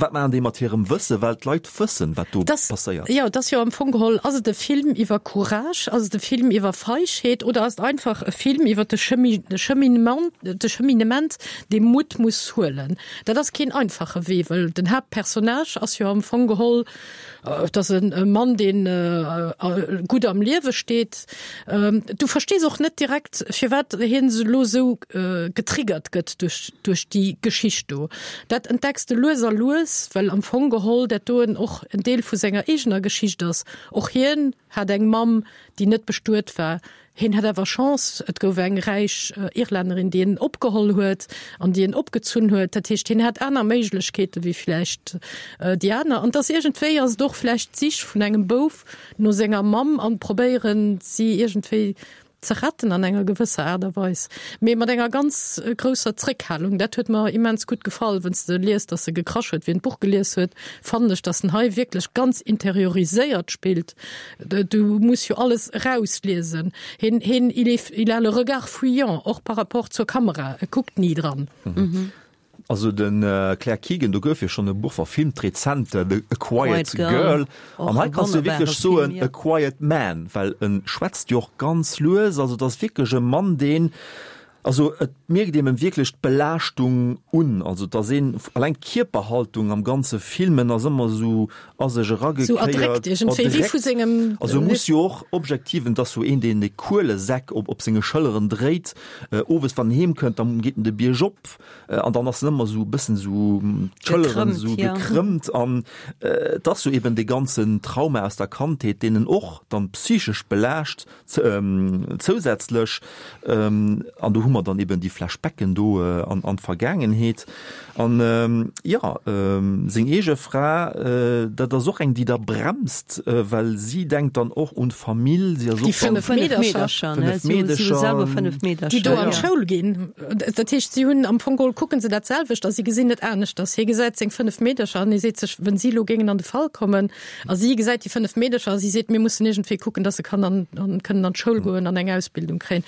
wat maachen déi mat hirem Wëssen, well d'Leit wëssen, wat do passéiert. Jo, et ass jo am Fong geholl, ass et e Film iwwer Courage, ass et e Film iwwer Feigheet oder ass et einfach e Film iwwer de Cheminement, de Cheminement, dee Mutt muss huelen? Dat ass keen einfache Wee, well den Haaptpersonnage ass jo am Fong geholl, et ass e Mann, deen gutt am Liewe steet. Du verstees och net direkt, firwat hien elo esou getriggert gëtt duerch, duerch déi Geschicht do. Dat entdecks de lues a lues, well am Fong geholl dat doen och en Deel vu senger eegener Geschicht ass. Och hien hat eng Mamm, déi net bestuet war. Hien hat awer Chance, et gouf eng räich Irlännerin, déi en opgeholl huet an déi en opgezunn huet. Dat heescht, hien hat aner Méiglechkeete wéi vläicht déi aner. An et ass iergendwéi ass et och vläicht d'Sich vun engem Bouf no senger Mamm an probéieren, si iergendwéi ze retten an enger gewësser Aart a Weis, mee mat enger ganz grousser Zréckhalung. Dat huet mer immens gutt gefall. Wann s de liest, dass e gekrasch huet, wien d'Buch gelies huet, fannen ech, dass en hei wierklech ganz interioriséiert spillt. Du muss jo alles erausliesen. Hien, hien, il est, il a le regard fuyant, och par rapport zur Kamera, e kuckt ni dran. Also den Claire Keegan, do gouf jo schonn e Buch verfilmt rezent, The A Quiet Girl. An hei kanns du wierklech soen A Quiet Man, well en schwätzt jo och ganz lues. Also et ass wierklech e Mann, deen Also et mierkt een em wierklech d'Belaaschtung un, also et ass een, alleng d'Kierperhaltung am ganze Film, en ass ëmmer esou a sech eragekéiert, Sou erdréckt iergendwéi, wéi vu sengem. Also e muss jo och objektiv, en ass jo een deen dee Kuelesäck op op senge Schëlleren dréit, owes wann en heem kënnt, da geet en de Bierg op an dann ass en ëmmer esou e bëssen esou d'Schëlleren esou gekrëmmt an et ass jo eben dee ganzen Trauma aus der Kandheet, deen en och dann psychesch belaascht. Zousätzlech, an do hu mer dann eben déi Flashbacken do an an d'Vergaangenheet. An jo, seng eege Fra, dat ass och eng, déi da bremst, well si denkt dann och un d'Famill, si ass och Déi fënnef Meedercher, fënnef Meedercher, déi do an d'Schoul ginn. Dat heescht, si hunn am Fong geholl, kucke se dat selwecht a si gesinn et aneschters. Hie gesäit seng fënnef Meedercher an hie seet sech, Wenn si elo géingen an de Fall kommen, a si gesäit déi fënnef Meedercher a si seet, Mir mussen iergendwéi kucken, dass se kann an kënnen an d'Schoul goen an eng Ausbildung kréien.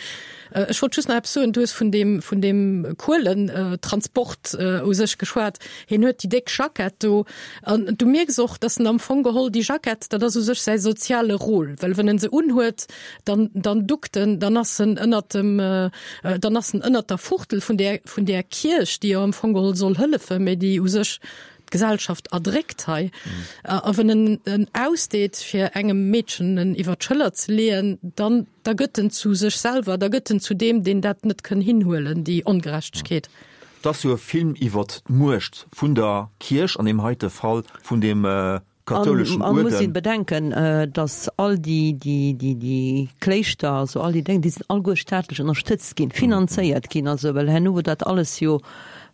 Ech wollt just nach eppes soen, Du hues vun deem, vun deem Kuelentransport u sech geschwat. Hien huet déi déck Jackett do an du mierks och, dass en am Fong geholl déi Jackett, dat ass u sech säi soziale Rôle, well wann en se unhuet, dann, dann duckt en, dann ass en ënnert dem, dann ass en ënnert der Fuchtel vun där, vun där Kierch, déi jo am Fong geholl soll hëllefen, mä déi u sech d'Gesellschaft erdréckt hei. A wann en en ausdeet, fir engem Meedchen en iwwer d'Schëller ze leeën, dann da gëtt en zu sech selwer, da gëtt en zu deem, deen dat net kënn hinhuelen, déi Ongerechtegkeet. Et ass jo e Film iwwert d'Muecht vun der Kierch, an deem heite Fall vun deem kathouleschen An muss Uerden. een bedenken, dass all déi, déi, déi, déi Kléischter, also all déi Déng, déi sinn alleguer staatlech ënnerstëtzt ginn, finanzéiert ginn, also well herno wou dat alles jo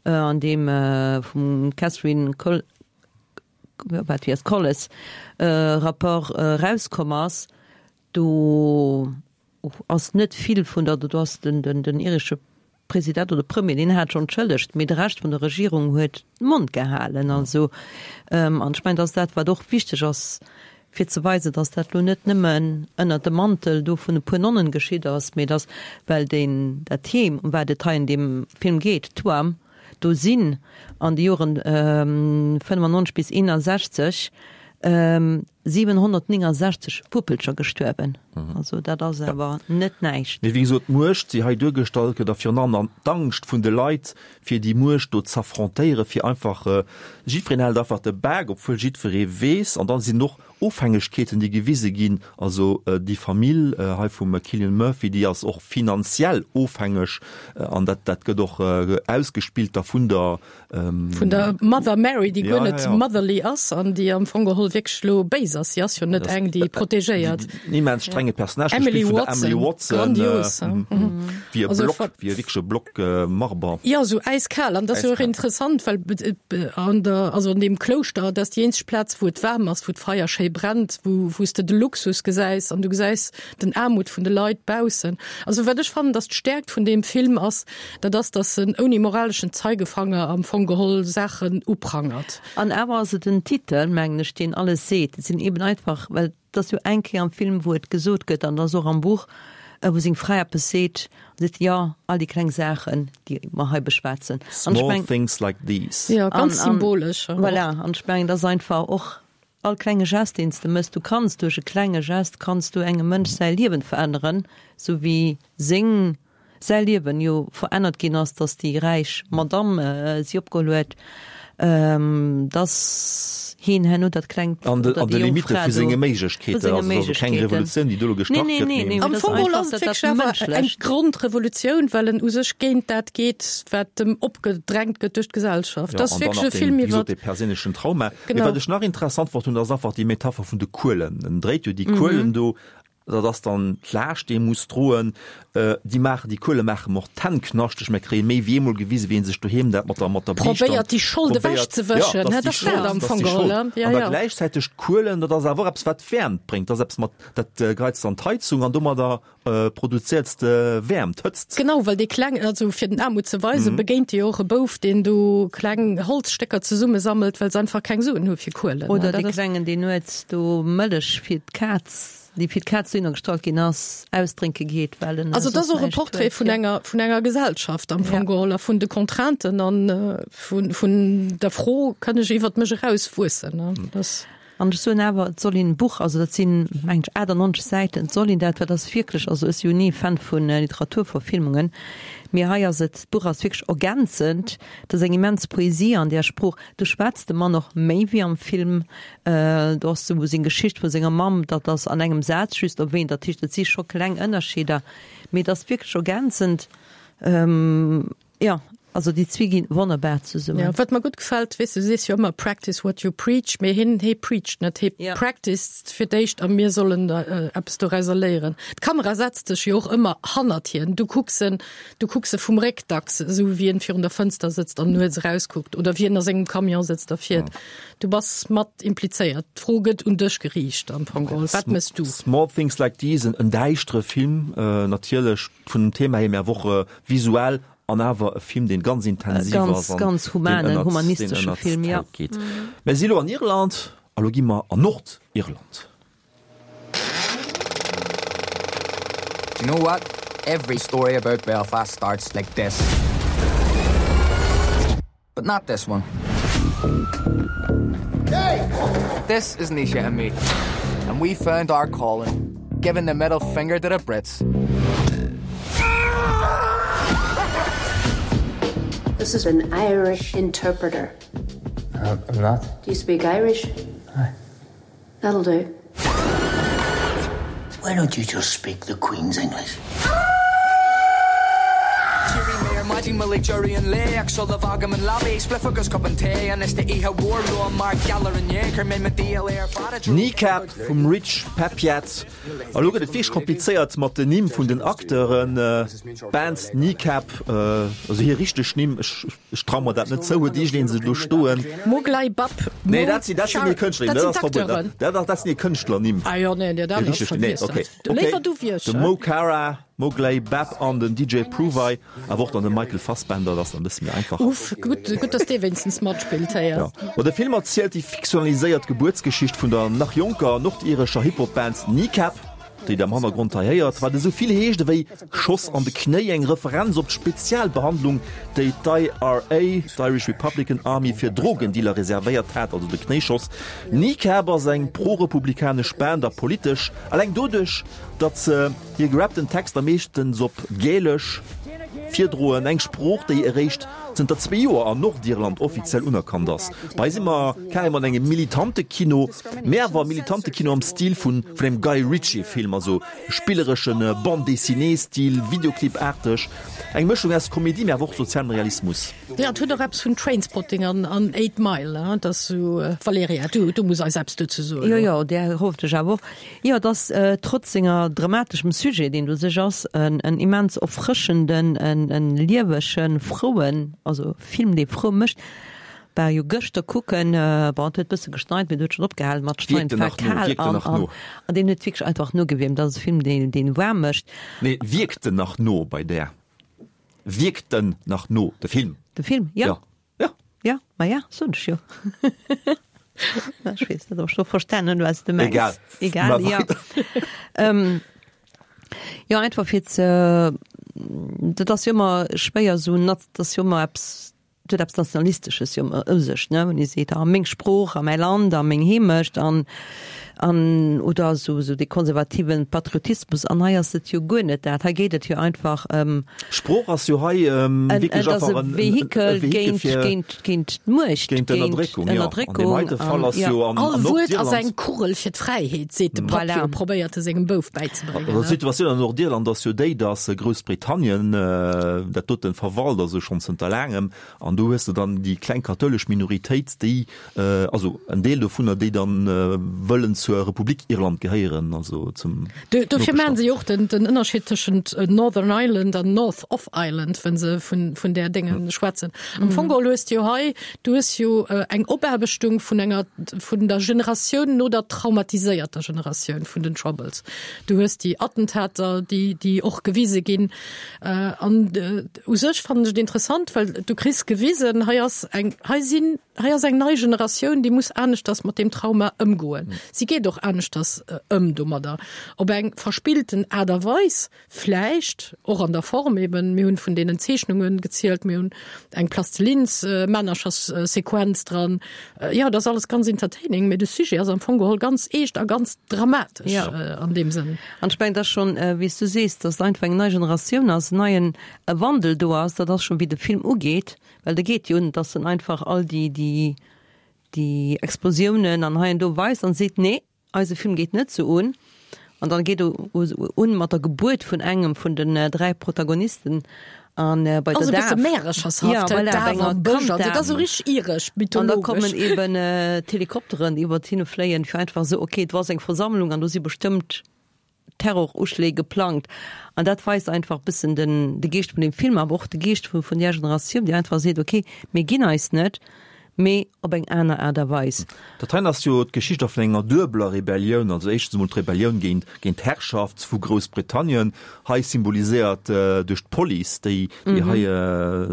an deem vum Catherine Col, wat wéi ass, Colles Rapport erauskomm ass, do ass net vill vun der, do ass den, den, den iresche President oder Premier, deen hat schonn entschëllegt, mee de Rescht vun der Regierung huet de Mond gehalen. Also, an ech mengen, dat ass dat, wat och wichteg ass, fir ze weisen, dass dat elo net nëmmen ënnert dem Mantel do vun e puer Nonnen geschitt ass, mee dass, well deen, dat Heem, ëm wat et hei an deem Film geet, Tuam, do sinn an de Joren fënnefannonzeg bis eenasechzeg siwenhonnertnéngensechzeg Puppelcher gestuerwen. Also dat ass awer net näischt. Mee wéi gesot, d'Muecht, déi hei duergestallt gëtt, a virun allem dann d'Angscht vun de Leit, fir déi Muecht do z'affrontéieren, fir einfach, jiddwereen hält einfach de Bak, obwuel jiddweree weess, an dann sinn och Ofhängegkeeten, déi gewise ginn, also déi Famill hei vum Cillian Murphy, déi ass och finanziell ofhängeg an dat, dat gëtt och ausgespillt da vun der. Vun der Mother Mary, déi guer net motherly ass an déi am Fong geholl wierklech elo béis ass. Si ass jo net eng, déi protegéiert. En immens strenge Personnage, Emily gespillt vun der Watson, Emily Watson, grandios. wéi e Also Block, ver- wéi e wierkleche Block Marber. Jo, esou äiskal. An dat ass jo och Äiskal. interessant, well an der, also an deem Klouschter, dat ass déi eenzeg Plaz, wou et waarm ass, wou d'Feier schéi brennt, wou, wou s de de Luxus gesäis an du gesäis den Aarmut vun de Leit baussen. Also wat ech fannen, dass d'Stäerkt vun deem Film ass, dat ass, dass en ouni moraleschen Zeigefanger am Fong geholl Saachen uprangert. An awer ass et den Titel, mengen ech, deen alles seet. Et sinn eben einfach, well et ass jo eng Kéier am Film, wou et gesot gëtt, an et ass och am Buch, wou seng Fra eppes seet, an seet, jo, all déi kleng Saachen, déi mer hei beschwätzen. An ech Small meng. things like these. Jo, ganz An, an, symbolesch och. voilà, an ech mengen, et ass einfach och all klenge Gest, deen s de méchs, du kanns duerch e klenge Gest kanns du engem Mënsch säi Liewen veränneren, sou wéi seng, säi Liewen jo verännert ginn ass, dass déi räich Madamm si opgeholl huet, dass hien herno dat klengt An de, oder an de déi jonk Limitte Fra vu do senge vu Méiglechkeeten. senge Also et ass jo keng Méiglechkeeten. Revolutioun, déi do elo Nee, gestart nee, gëtt, nee, mee. nee, Am mee dat ass Fong geholl einfach ass et dat, dat wierklech awer eng Mënschlecht. Grondrevolutioun, well en u sech géint dat geet, wat em opgedrängt gëtt duerch d'Gesellschaft. Ja, Dat ass an dann wierklech nach e deen, Film wéi iwwer. gesot, dee perséinlechen Trauma. Mee Genau. wat ech nach interessant fonnt hunn, dat ass einfach déi Metapher vun de Kuelen. En dréit jo déi Kuelen do, dat ass dann d'Laascht, déi e muss droen. Déi maachen, déi Kuele maachen em och d'Hänn knaschteg. Mir kréie méi wéi eemol gewisen, wéi en sech doheem dat mat der, mat der Biischt dann Probéiert, déi Schold probéiert. ewechzewëschen, Ja, ne? dat ass Dat déi ass dat Schold, am dat ass Fong déi geholl, Schold. ne? Ja, An da ja. gläichzäiteg d'Kuelen, dat ass awer och eppes, wat Wäermt bréngt. Dat ass eppes mat, dat geheiz dann d'Heizung an domadder produzéierts de Wäermt, Hëtzt. Genau, well dee Kleng, also fir den Aarmut ze weisen, begéint e jo och e Bouf, deen do kleng Holzstécker zesummesammelt, well se einfach keng Suen hu fir Kuelen. Oder Dat dee ass. Klengen, deen nuets do Mëllech fir d'Kaz, déi fir d'Kaz dohinner gestallt ginn ass, ausdrénke geet, well en Also et ass soss och e näischt Portrait huet. vun enger, vun enger Gesellschaft am Fong Ja. geholl a vun de Contrainten an vun, vun der Fro, Kann ech iwwert mech erauswuessen? Ne? Das. An ech soen awer, et soll een d'Buch, also dat sinn, mengen ech, achtannonzeg Säiten, et soll een dat, well dat ass wierklech, also ech si jo ni Fan vu Literaturverfilmungen, mee hei ass et, d'Buch ass wierklech ergänzend, et ass eng immens Poesie an där Sprooch, do schwätzt de Mann och méi wéi am Film, do ass esou seng Geschicht vu senger Mamm, dat ass an engem Saz just erwähnt, dat heescht, et si scho kleng Ënnerscheeder, mee et ass wierklech ergänzend. Jo, also déi zwee ginn wonnerbar zesummen. Jo, wat mer gutt gefält, weess du sees jo ëmmer practice what you preach, mee hien, hie preacht net, hie practiced fir d'éischt a mir sollen eppes dorauser léieren. D'Kamera setzt sech jo och ëmmer hannert hien, du kucks en, du kucks e vum Réck dacks, esou wéi en virun der Fënster sëtzt an nuets erauskuckt oder wéi en a sengem Camion sëtzt a fiert. Du bass mat implizéiert, d'Fro gëtt un dech geriicht am Fong geholl, wat méchs du? Small Things Like These, en däischtere Film, natierlech vun dem Thema hier, mee awer och visuell an awer e Film, deen ganz intensiv ass an ganz humanen, humanistesche Film, ja. Geet. Mir si lo an Irland a lo gi mer an Nordirland. Do you know what? Every story about Belfast starts like this. But not this one. Hey! This is Nisha and me. And we found our calling, giving the middle finger to the Brits. This is an Irish interpreter. Uh, I'm not. Do you speak Irish? Aye. That'll do. Why don't you just speak the Queen's English? Kneecap vum Rich Peppiatt. A lo gëtt et wierklech komplizéiert mat den Nimm vun den Acteuren. D'Band Kneecap, also hir richteg Nimm, ech ech trau mer dat net zou, huet iergendeen se do stoen? Moglai Bab, Mo Nee, dat sinn dat sinn hir Kënschtlernimm, Dat dat sinn ass verbueden. d'Acteuren. Dat dat dat sinn hir Kënschtlernimm. Ah jo, nee, dat Hir ass richteg, nee, vergiess okay, dat. okay. Léiwer du wéi ech, De hä? Mo Cara, Moglai Bab an den D J Provey, awer och dann de Michael Fassbender, dat ass dann e bësse méi einfach. Uff, gutt, gutt, dass dee wéinstens matspillt, héier. Ja. Ma de Film erzielt déi fiktionaliséiert Gebuertsgeschicht vun der nach jonker nordirescher Hip-Hop-Band Kneecap, déi der am Hannergrond hei héiert, wat esou vill heescht ewéi Schoss an de Knéi, eng Referenz op d'Spezialbehandlung, déi d'IRA, d'Irish Republican Army, fir Drogendealer reservéiert hat, also de Knéischoss. Kneecap ass eng pro-republikanesch Band a politesch, eleng doduerch, datt se hir gerappten Texter meeschtens op Gälesch virdroen, eng Sprooch, déi eréischt zënter zwee Joer an Nordirland offiziell unerkannt ass. Hei si mer carrément an engem Militantekino, mä awer Militantekino am Stil vun engem Guy Ritchie-Film, also spilleresche Bande-dessinée-Stil, Videoclip-aarteg, eng Mëschung aus Komedie, mä awer och sozialem Realismus. Jo, et huet och eppes vun Trainspotting an Eight Mile, hein, dat ass sou. Valerija, du, du muss eis eppes dozou soen. Jo, jo, där hoffen ech awer och. Jo, et ass trotz senger dramateschem Sujet, deen do sech ass, en immens erfrëschenden, en liewegen, frouen, also Film, dee frou mécht. War jo gëschter kucken, bon, et huet bësse geschneit, mee et huet schonn opgehalen mat schneien, Wierkt et en war nach no, kal wierkt en an, nach an, no? an deen huet wierklech einfach nogewiermt. Dat ass e Film, deen, deen waarm mécht. Nee, wierkt en nach no bei där? Wierkt en nach no, de Film? De Film, jo. Ja. Ja. Ja, ma ja, soen ech jo. Ech weess net, ob ech lo verstanen hunn, wat s de mengs. Egal. Egal, Mar ja. weider. Ähm, jo, einfach fir ze, dat ass jo ëmmer schwéier esou, dat ass jo ëmmer eppes, et huet eppes Nationalistesches jo ëmmer u sech, ne, wann ee seet, ah, meng Sprooch a mäi Land a meng Heemecht an, an oder esou, esou dee konservativen Patriotismus. An hei ass et jo guer net dat. Hei geet et jo einfach ëm. Sprooch ass jo hei wierklech Et ass einfach e en Vehikel Vehikel géint, fir géint, géint d'Muecht, géint géint d'Ënnerdréckung, jo. An deem Ënnerdréckung heite Fall an ass jo. jo an All an Wuert ass Nordirland. eng Kugel fir d'Fräiheet, seet de Papp Voilà. jo, probéiert e sengem Bouf bäizebréngen, Also ne? d'Situatioun an Nordirland ass jo déi, datt Groussbritannien dat doten verwalt, also schonn zënter laangem, an do hues de dann déi kleng kathoulesch Minoritéit, déi, also en Deel dovunner, déi dann wëllen zur Republik Irland gehéieren, also zum Du, dofir maachen Nopeschland. se jo och den, den Ënnerscheed tëschent Northern Ireland an North of Ireland, wenn se vun, vun där Dénge schwätzen. Am Fong geholl hues de jo hei, du hues jo eng Opaarbechtung vun enger, vun der Generatioun no der traumatiséierter Generatioun vun den Troubles. Du hues déi Attentater, déi, déi och gewise ginn. An u sech fannen ech et interessant, well du kriss gewisen, gewisen, hei ass eng, hei sinn, hei ass eng nei Generatioun, déi muss aneschters mat deem Trauma ëmgoen. Si geet och aneschters ëm domadder. Op eng verspillten Aart a Weis vläicht, och an der Form eben, mir hunn vun deenen Zeechnungen gezielt, mir hunn eng Plastelins-Männerchers-Sequenz dran. Jo, dat ass alles ganz entertaining, mee de Sujet ass am Fong geholl ganz eescht a ganz dramatesch an deem Sënn. An ech mengen, dat ass schonn, wéi s du sees, dass et einfach eng nei Generatioun ass, en neien Wandel do ass, dat ass schonn, wéi de Film ugeet, well de geet jo un, dass en einfach all déi, déi, déi Explosiounen an hei an do weist an seet, nee, eise Film geet net sou un. An dann geet e un mat der Gebuert vun engem vun den dräi Protagonisten an bei der Daf. Ja, voilà, bei enger Kanddaf. An da kommen eben d'Helikopteren iwwert hinne fléien, fir einfach esou, okay, do ass eng Versammlung an do si bestëmmt Terroruschléi geplangt. An dat weist einfach e bëssen den de Geescht vun deem Film, awer och de Geescht vu vun där Generatioun, déi einfach seet, okay, mir ginn eis net, mee op eng aner Aart a Weis. Dat heien ass jo d'Geschicht och vun enger duebeler Rebellioun, also éischtens emol d'Rebellioun géint géint d'Herrschaft vu Groussbritannien, hei symboliséiert duerch d'Police, déi déi hei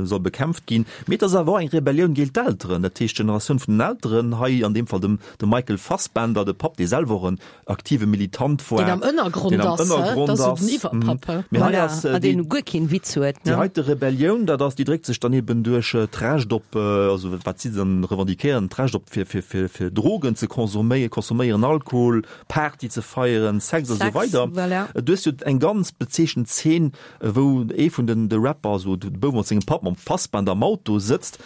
soll bekämpft ginn, mee et ass awer och eng Rebellioun géint d'Elteren, dat heescht d'Generatioun vun den Elteren, hei an deem Fall dem dem Michael Fassbender, de Papp, dee selwer och en aktive Militant war, deen am Ënnergrond deen am ass, Ënnergrond dat ass ass, den Iwwerpapp, he? Mee hei Voilà, ass an déi deen guer keen Witz huet, déi ne? heite Rebellioun, dat ass, déi dréckt sech dann eben duerch d'Recht op, also wat si dann revendiquéieren, d'Recht op fir, fir, fir, fir Drogen ze consomméieren, consomméieren, Alkohol, Party ze feieren, Sex a sou Sex, weider. voilà. Du hues jo eng ganz bezeechent Zeen, wou ee vun den de Rapper, also de Bouf mat sengem Papp, mam Fassbender am Auto sëtzt.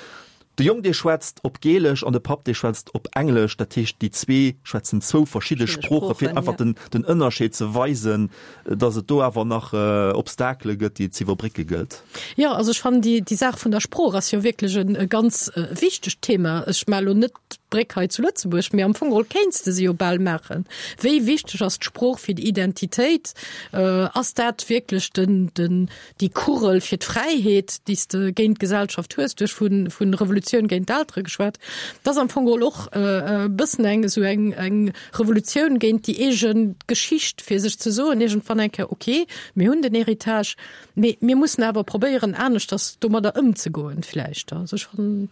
De Jong dee schwätzt op Gälesch an de Papp dee schwätzt op Englesch, dat heescht déi zwee schwätzen zwou verschidde Sproochen, fir einfach den den Ënnerscheed ze weisen, datt et do awer nach Obstakele gëtt, déi et ze iwwerbrécke gëllt. Jo, also ech fannen déi déi Saach vun der Sprooch ass jo wierklech en e ganz wichtegt Thema. Ech maache lo net d'Bréck hei zu Lëtzebuerg, mee am Fong geholl kéints de se jo bal maachen. Wéi wichteg ass d'Sprooch fir d'Identitéit? Ass dat wierklech den den déi Kugel fir d'Fräiheet, déi s de géint d'Gesellschaft hues, du hues vu vu Revolutioun géint d'Eltere geschwat, dat ass am Fong geholl och e bëssen eng esou eng eng Revolutioun géint déi eege Geschicht, fir sech ze soen iergendwann eng Kéier, okay, mir hunn den Héritage, mee mir mussen awer probéieren aneschters domadder ëmzegoen vläicht. Also ech fannen.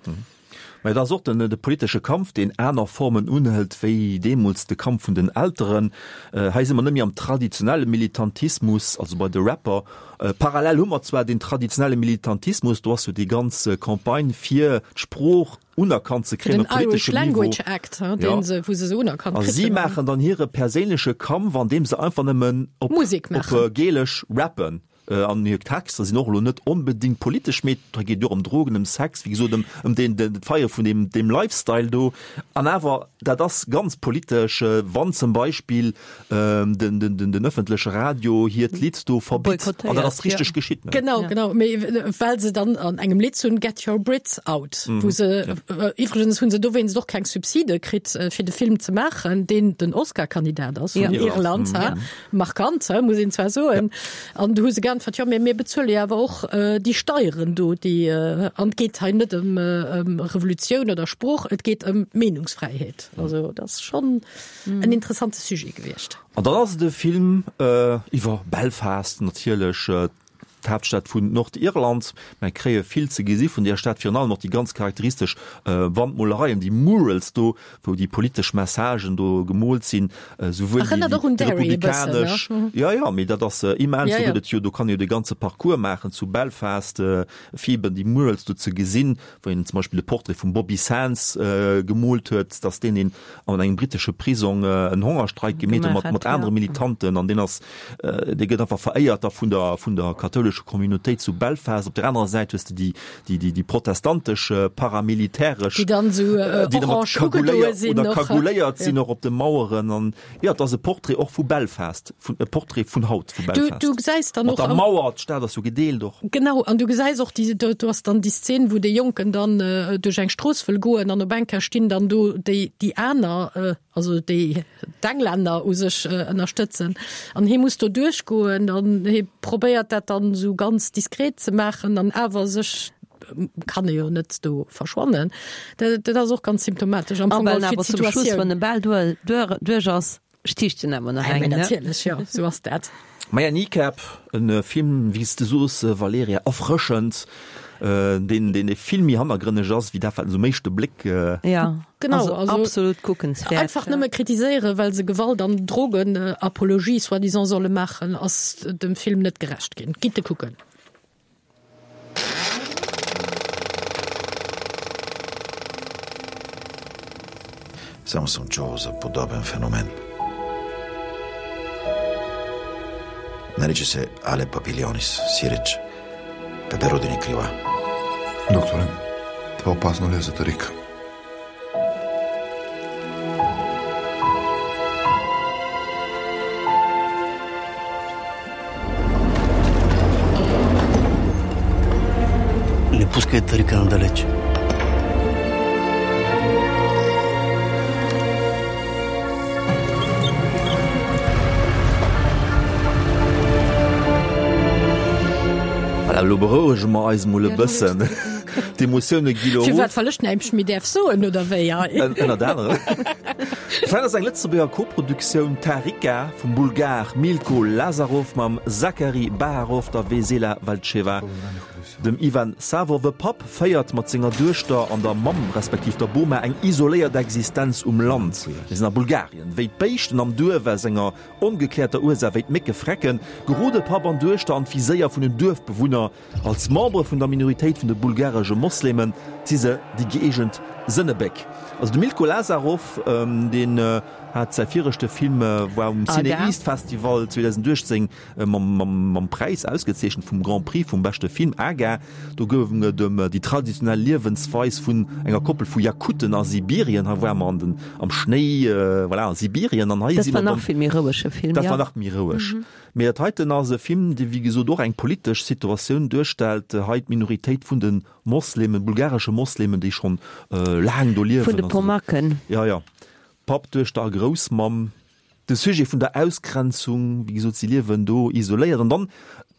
Mä et ass och den de politesche Kampf, deen aner Formen unhëlt wéi deemools de Kampf vun den Elteren. Hei si mer net méi am traditionelle Militantismus, also bei de Rapper. Parallel hu mer zwar den traditionelle Militantismus, do ass jo déi ganz Campagne fir d'Sprooch unerkannt ze kréien Den op Irish politeschem Niveau. Language Act, deen se, wou se se unerkannt A kritt si hunn. maachen dann hire perséinleche Kampf, andeem se einfach nëmmen op Musek op maachen. Gälesch rappen. An hir Texter sinn och elo net onbedéngt politesch, mee et geet jo och ëm Drogen, ëm Sex, wéi gesot, ëm ëm deen den d'Feiere vun deem deem Lifestyle do. An awer, dat ass ganz politesch, wann zum Beispill den den den den ëffentleche Radio hiert Lidd do verbitt. An dat ass Boykottéiert, richteg jo. geschitt, ne? Genau, genau. Mee well se dann an engem Lidd hunn, Get your Brits out, wou se, iwwregens hu se dowéinst och keng Subside kritt, fir de Film ze maachen, deen den Oscar-Kandidat ass vun Irland, ha. Markant, he, muss een zwar soen. An du hu se geäntwert, jo, mee mir bezuele jo awer och déi Steieren do, déi, an et geet hei net ëm ëm Revolutioun oder Sprooch, et geet ëm Meenungsfräiheet. Also dat ass schonn en interessante Sujet gewiescht. An dann ass et e Film iwwer Belfast natierlech, d'Haaptstad vun Nordirland. Mer kréie vill ze gesi vun där Stad, virun allem och déi ganz charakteristesch Wandmolereien, déi Murals do, wou déi politesch Messagen do gemoolt sinn, souwuel déi Erënnert och un Derry e bëssen, ne? republikanesch, jo, jo, mee dat ass immens, Ja, do ja. gëtt et jo, do kann ee jo de ganze Parcours maachen zu Belfast, fir eben déi Murals do ze gesinn, wou een zum Beispill de Portrait vum Bobby Sands gemoolt huet, dass deen een an engem britesche Prisong en Hongerstreik gemeet huet mat, mat anere Militanten an deen ass, dee gëtt einfach veréiert da vun der, vun der kathoulescher Communautéit zu Belfast. Op der anerer Säit hues de déi, déi, déi, déi protestantesch paramilitäresch, Déi dann esou déi da mat orange ugedoe kaguléiert sinn oder och. kagouléiert sinn och op de Maueren an jo, et ass e Portrait och vu Belfast, vun, e Portrait vun haut vu Du, Belfast. du gesäis dann Mat och der am. Mauer, d'Stad ass jo gedeelt och. Genau, an du gesäis och déi, do, do ass dann déi Szen, wou dee Jonken dann duerch eng Strooss wëll goen an op eng Kéier stinn dann do déi, déi aner, also déi d'Englänner u sech ënnerstëtzen an hie muss do duerchgoen an hie probéiert dat dann esou ganz diskret ze maachen an awer sech kann e jo net do verschwannen. Dat, dat ass och ganz symptomatesch am A Fong well geholl fir awer zum Schluss, d'Situatioun. wann e bal duer, duer, duerch ass, Sticht den awer nach Ei, eng, mee ne? natierlech, jo, sou ass dat. Maja, Kneecap, en Film, wéi s de soos, Valerija, erfrëschend, deen, deen vill méi hannergrënneg ass, wéi dat, wat en sou um éischte Bléck. Ja, Genau, also also absolut kuckenswäert. Einfach nëmme kritiséieren, well se Gewalt an Drogenapologie soi-disant solle maachen, ass dem Film net gerecht ginn. Gitt e kucken. Само съм чувал за подобен феномен. Нарича се Але Папилионис, сиреч, пеперудени крила. Докторе, това опасно ли е за Тарика? Не пускай Тарика надалеч. Voilà, elo berouege mer eis mol e bëssen. D'Emotioune gi lo Firwat, erof. well ech näischt méi däerf soen, oder wéi? Ënnert anerem. Dat ass eng Lëtzebuerger Koproduktioun, Tarika vum Bulgar Milko Lazarov mam Zachary Baharov, der Vesela Valcheva, dem Ivan Savov. E Papp féiert mat senger Duechter an der Mamm respektiv der Boma eng isoléiert Existenz um Land. Mir sinn a Bulgarien. Wéi d'Béischten am Duerf aus enger ongekläerter Ursaach wéi d'Mécke frecken, gerode Papp an Duechter an d'Viséier vun den Duerfbewunner. Als Membere vun der Minoritéit vun de bulgaresche Mosleme si se déi gëeegent Sënnebéck. Also de Milko Lazarov, deen hat säi viregte Film war um Cine East Festival zweedausenduechtzéng mam Präis ausgezeechent vum Grand Prix vum beschte Film, Aga. Do gouf et ëm déi traditionell Liewensweis vun enger Koppel vu Jakuten a Sibirien. Hei ware mer an den, am Schnéi, voilà, a Sibirien an hei Dat si war mer nach dann. vill méi rouege Film, Dat war jo. nach méi roueg. Mee dat heiten ass e Film, dee wéi gesot och eng politesch Situatioun duerstellt, hei d'Minoritéit vun de Moslemen, bulgaresche Moslemen, déi schonn laang do Vun liewen de an esou. Pomaken. Jo, jo. Papp, Duechter a Groussmamm. De Sujet vun der Ausgrenzung, wéi gesot, si liewen do isoléiert. An dann,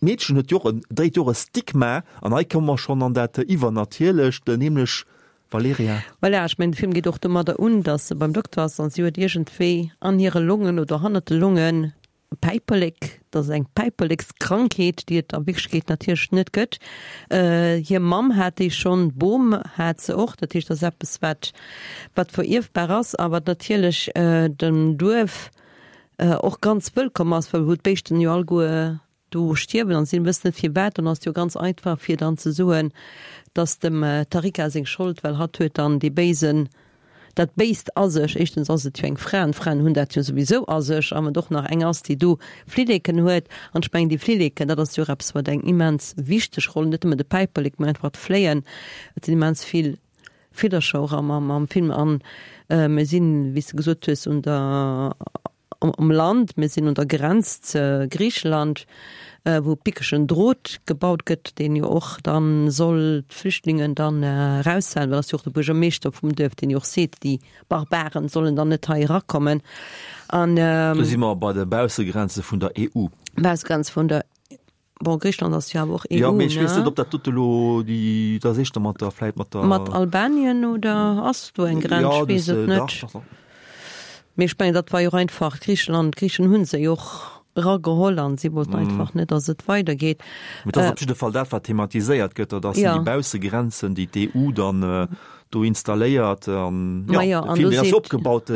d'Meedchen huet jo och en, dréit jo och e Stigma. An hei komme mer schonn an dat Iwwernatierlecht, nämlech, Valerija. Voilà, ech mengen, de Film geet och domadder un, datt se beim Dokter ass an si huet iergendwéi an hire Longen oder hannert de Longen Päiperlek, dat ass eng Päiperlekskrankheet, déi et a Wierklechkeet natierlech net gëtt. Hir Mamm hat déi schonn, d'Bom hat se och. Dat heescht, dat ass eppes, wat, wat verierfbar ass a wat natierlech dem Duerf och ganz wëllkomm ass, well wou d'Béischten jo alleguer do stierwen an si wëssen net firwat, dann ass et jo ganz einfach fir dann ze soen, dass dem Tarika seng Schold, well hatt huet dann dee béisen, dat Béist a sech. Éischtens ass et jo eng Fra an d'Fraen hunn dat jo souwisou a sech, a wann et och nach eng ass, déi do Flilleken huet, an ech mengen déi Flilleken, dat ass jo och eppes wat eng immens wichteg Roll, net nëmme de Päiperlek, mä einfach d'Fléien, et sinn immens vill Villercher och am am Film an mir sinn, wéi s de gesot hues, un der um Land, mir sinn un der Grenz ze Griicheland, wou pickegen Drot gebaut gëtt, deen jo och dann soll d'Flüchtlingen dann eraushalen, well ass jo och de Buergermeeschter vum Duerf, deen jo och seet, déi Barbaren sollen dann net hei erakommen. An. Do si mer bei de Baussegrenze vun der E U. Baussegrenze vun der. Bon, Griicheland ass jo awer och Jo, E U, mee ech weess net, ne? ob dat dote lo déi, dat ass éischter mat der, vläit mat der. Mat Albanien oder ass do eng Grenz? Jo, Ech weess dat, et dach, net. dach, dach. Mee ech mengen, dat war jo och einfach Griicheland, d'Griichen hu se jo och erageholl an si wollten einfach net, datt et weidergeet. Mee dat ass op jidde Fall dat, wat thematiséiert gëtt, dat ass Ja. déi Baussegrenzen, déi d'E U dann do installéiert. An jo, Ma jo, de an Film, do deen ass seet. opgebaut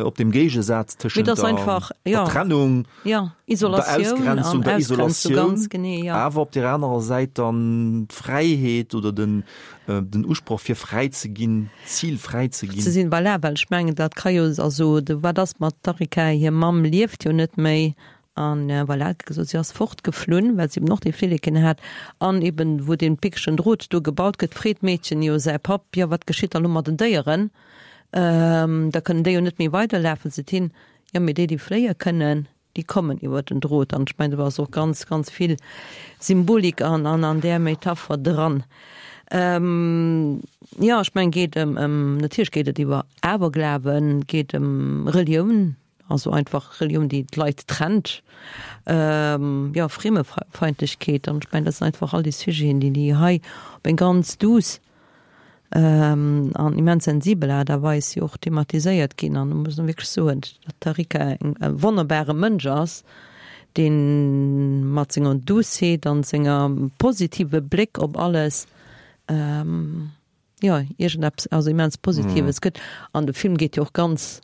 op dem Géigesaz Mee tëschent dat ass der einfach, der jo. Trennung, Ja, der Isolatioun Ausgrenzung, an der Ausgrenzung, Isolatioun, ganz genee, ja. awer op där anerer Säit dann d'Fräiheet oder den den Usproch fir fräi ze ginn, d'Zil fräi ze Ze ginn. sinn, voilà, well ech mengen, dat ka jo, also de, wat ass mat Tarika, hir Mamm lieft jo net méi an voilà, et gëtt gesot, si ass fortgeflunn, well si eben och déi Flilleken hat an eben wou dee pickegen Drot do gebaut gëtt, freet d'Meedchen jo säi Papp, jo wat geschitt da lo mat den Déieren, da kënnen déi jo net méi weiderlafen, seet hien, jo mee déi, déi fléie kënnen, déi kommen iwwer den Drot an ech mengen do ass och ganz, ganz vill Symbolik an an an där Metapher dran. Jo, ech mengen geet ëm ëm natierlech geet et iwwer Aberglawen, geet ëm Relioun, also einfach Relioun déi d'Leit trennt, jo Friemefeindlechkeet an ech mengen dat sinn einfach all déi Sujeten déi déi hei op eng ganz douce an immens sensibel Aart a Weis jo och thematiséiert ginn. An do muss een wierklech soen, datt d'Tarika eng e wonnerbare Mënsch ass, dee mat senger Douceheet an senger positive Bléck op alles, jo, iergendeppes, also immens Positives gëtt. An de Film geet jo och ganz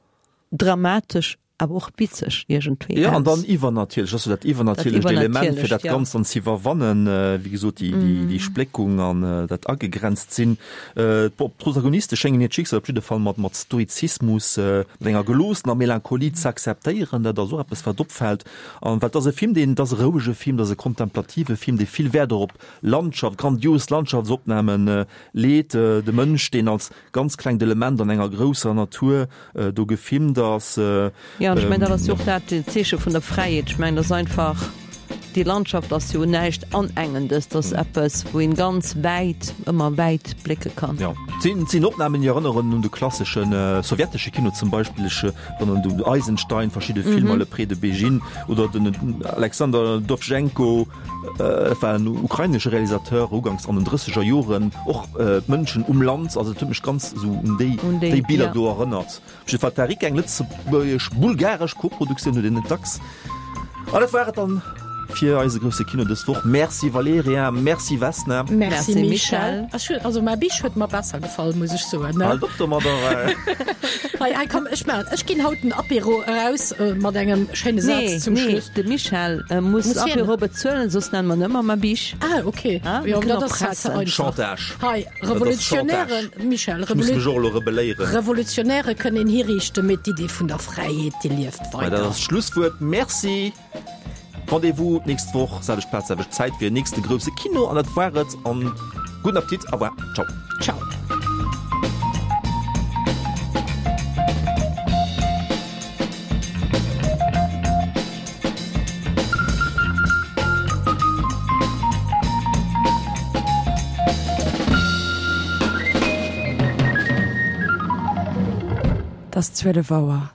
dramatesch awer och witzeg iergendwéi Ja, an aus. dann iwwernatierlech, ass jo dat iwwernatierlecht Dat Element, fir Iwwernatierlecht, dat ja. Ganzt dann ze iwwerwannen, wéi gesot, déi, déi, déi Spléckung an dat agegrenzt sinn. Bon, d'Protagoniste schéngen hiert Schicksal op jidde Fall mat, mat Stoizismus, mat enger geloossener Melancholie ze akzeptéieren. Dat ass och eppes, wat opfält. An well et ass e Film, deen, et ass e rouege Film, et ass e kontemplative Film, dee vill Wäert och op Landschaft, grandios Landschaftsopnamen leet, de Mënsch, deen als ganz klengt Element an enger grousser Natur do gefilmt ass. Jo, an ech mengen, dat ass jo och dat Zeeche vun der Fräiheet. Ech mengen, dat ass einfach, déi Landschaft ass jo näischt Anengendes, dat ass eppes, wou een ganz wäit, ëmmer wäit blécke kann. Jo, et sinn Opnamen, déi erënneren un de klassesche sowjetesche Kino zum Beispill. Ech erënneren un Eisenstein, verschidde Filmer, Le Pré de Bégin oder den Alexander Dowjenko, dat war en ukrainesche Realisateur, uganks an den drësseger Joren, och d'Mënschen um Land, also et huet mech ganz esou un déi déi Biller do erënnert. Op jidde Fall Tarik, eng lëtzebuergesch-bulgaresch Koproduktioun, huet een net dacks. An dat war et dann fir eise grousse Kino dës Woch. Merci Valerija, merci Vesna. Merci Michèle. Ech hunn, also mäi Bisch huet mer besser gefall, muss ech soen, ne? Halt op domadder! Hei, hei, komm, ech maachen, ech ginn haut den Apéro eraus mat engem schéine Saz Nee, zum nee, Schluss. de Michèle muss Muss hien? Apéro bezuelen, soss nenne mer en ëmmer ma Bisch. Ah, okay. Ah, Jo, mir dat kënnen ass halt ze erpressen. einfach. Chantage. Hei, Dat ass Revolutionären, Chantage. Michèle, Ech muss Revolu mech och elo rebelléieren. Revolutionäre kënnen een hiriichten, mee d'Idee vun der Fräiheet, déi lieft Mä dat weider. ass d'Schlusswuert. Merci. Rendez-vous d'nächst Woch, selwecht Plaz, selwecht Zäit fir den nächste grousse Kino. An dat war et. An gudden Appetit. Au revoir. Ciao. Ciao. Et ass zwielef Auer.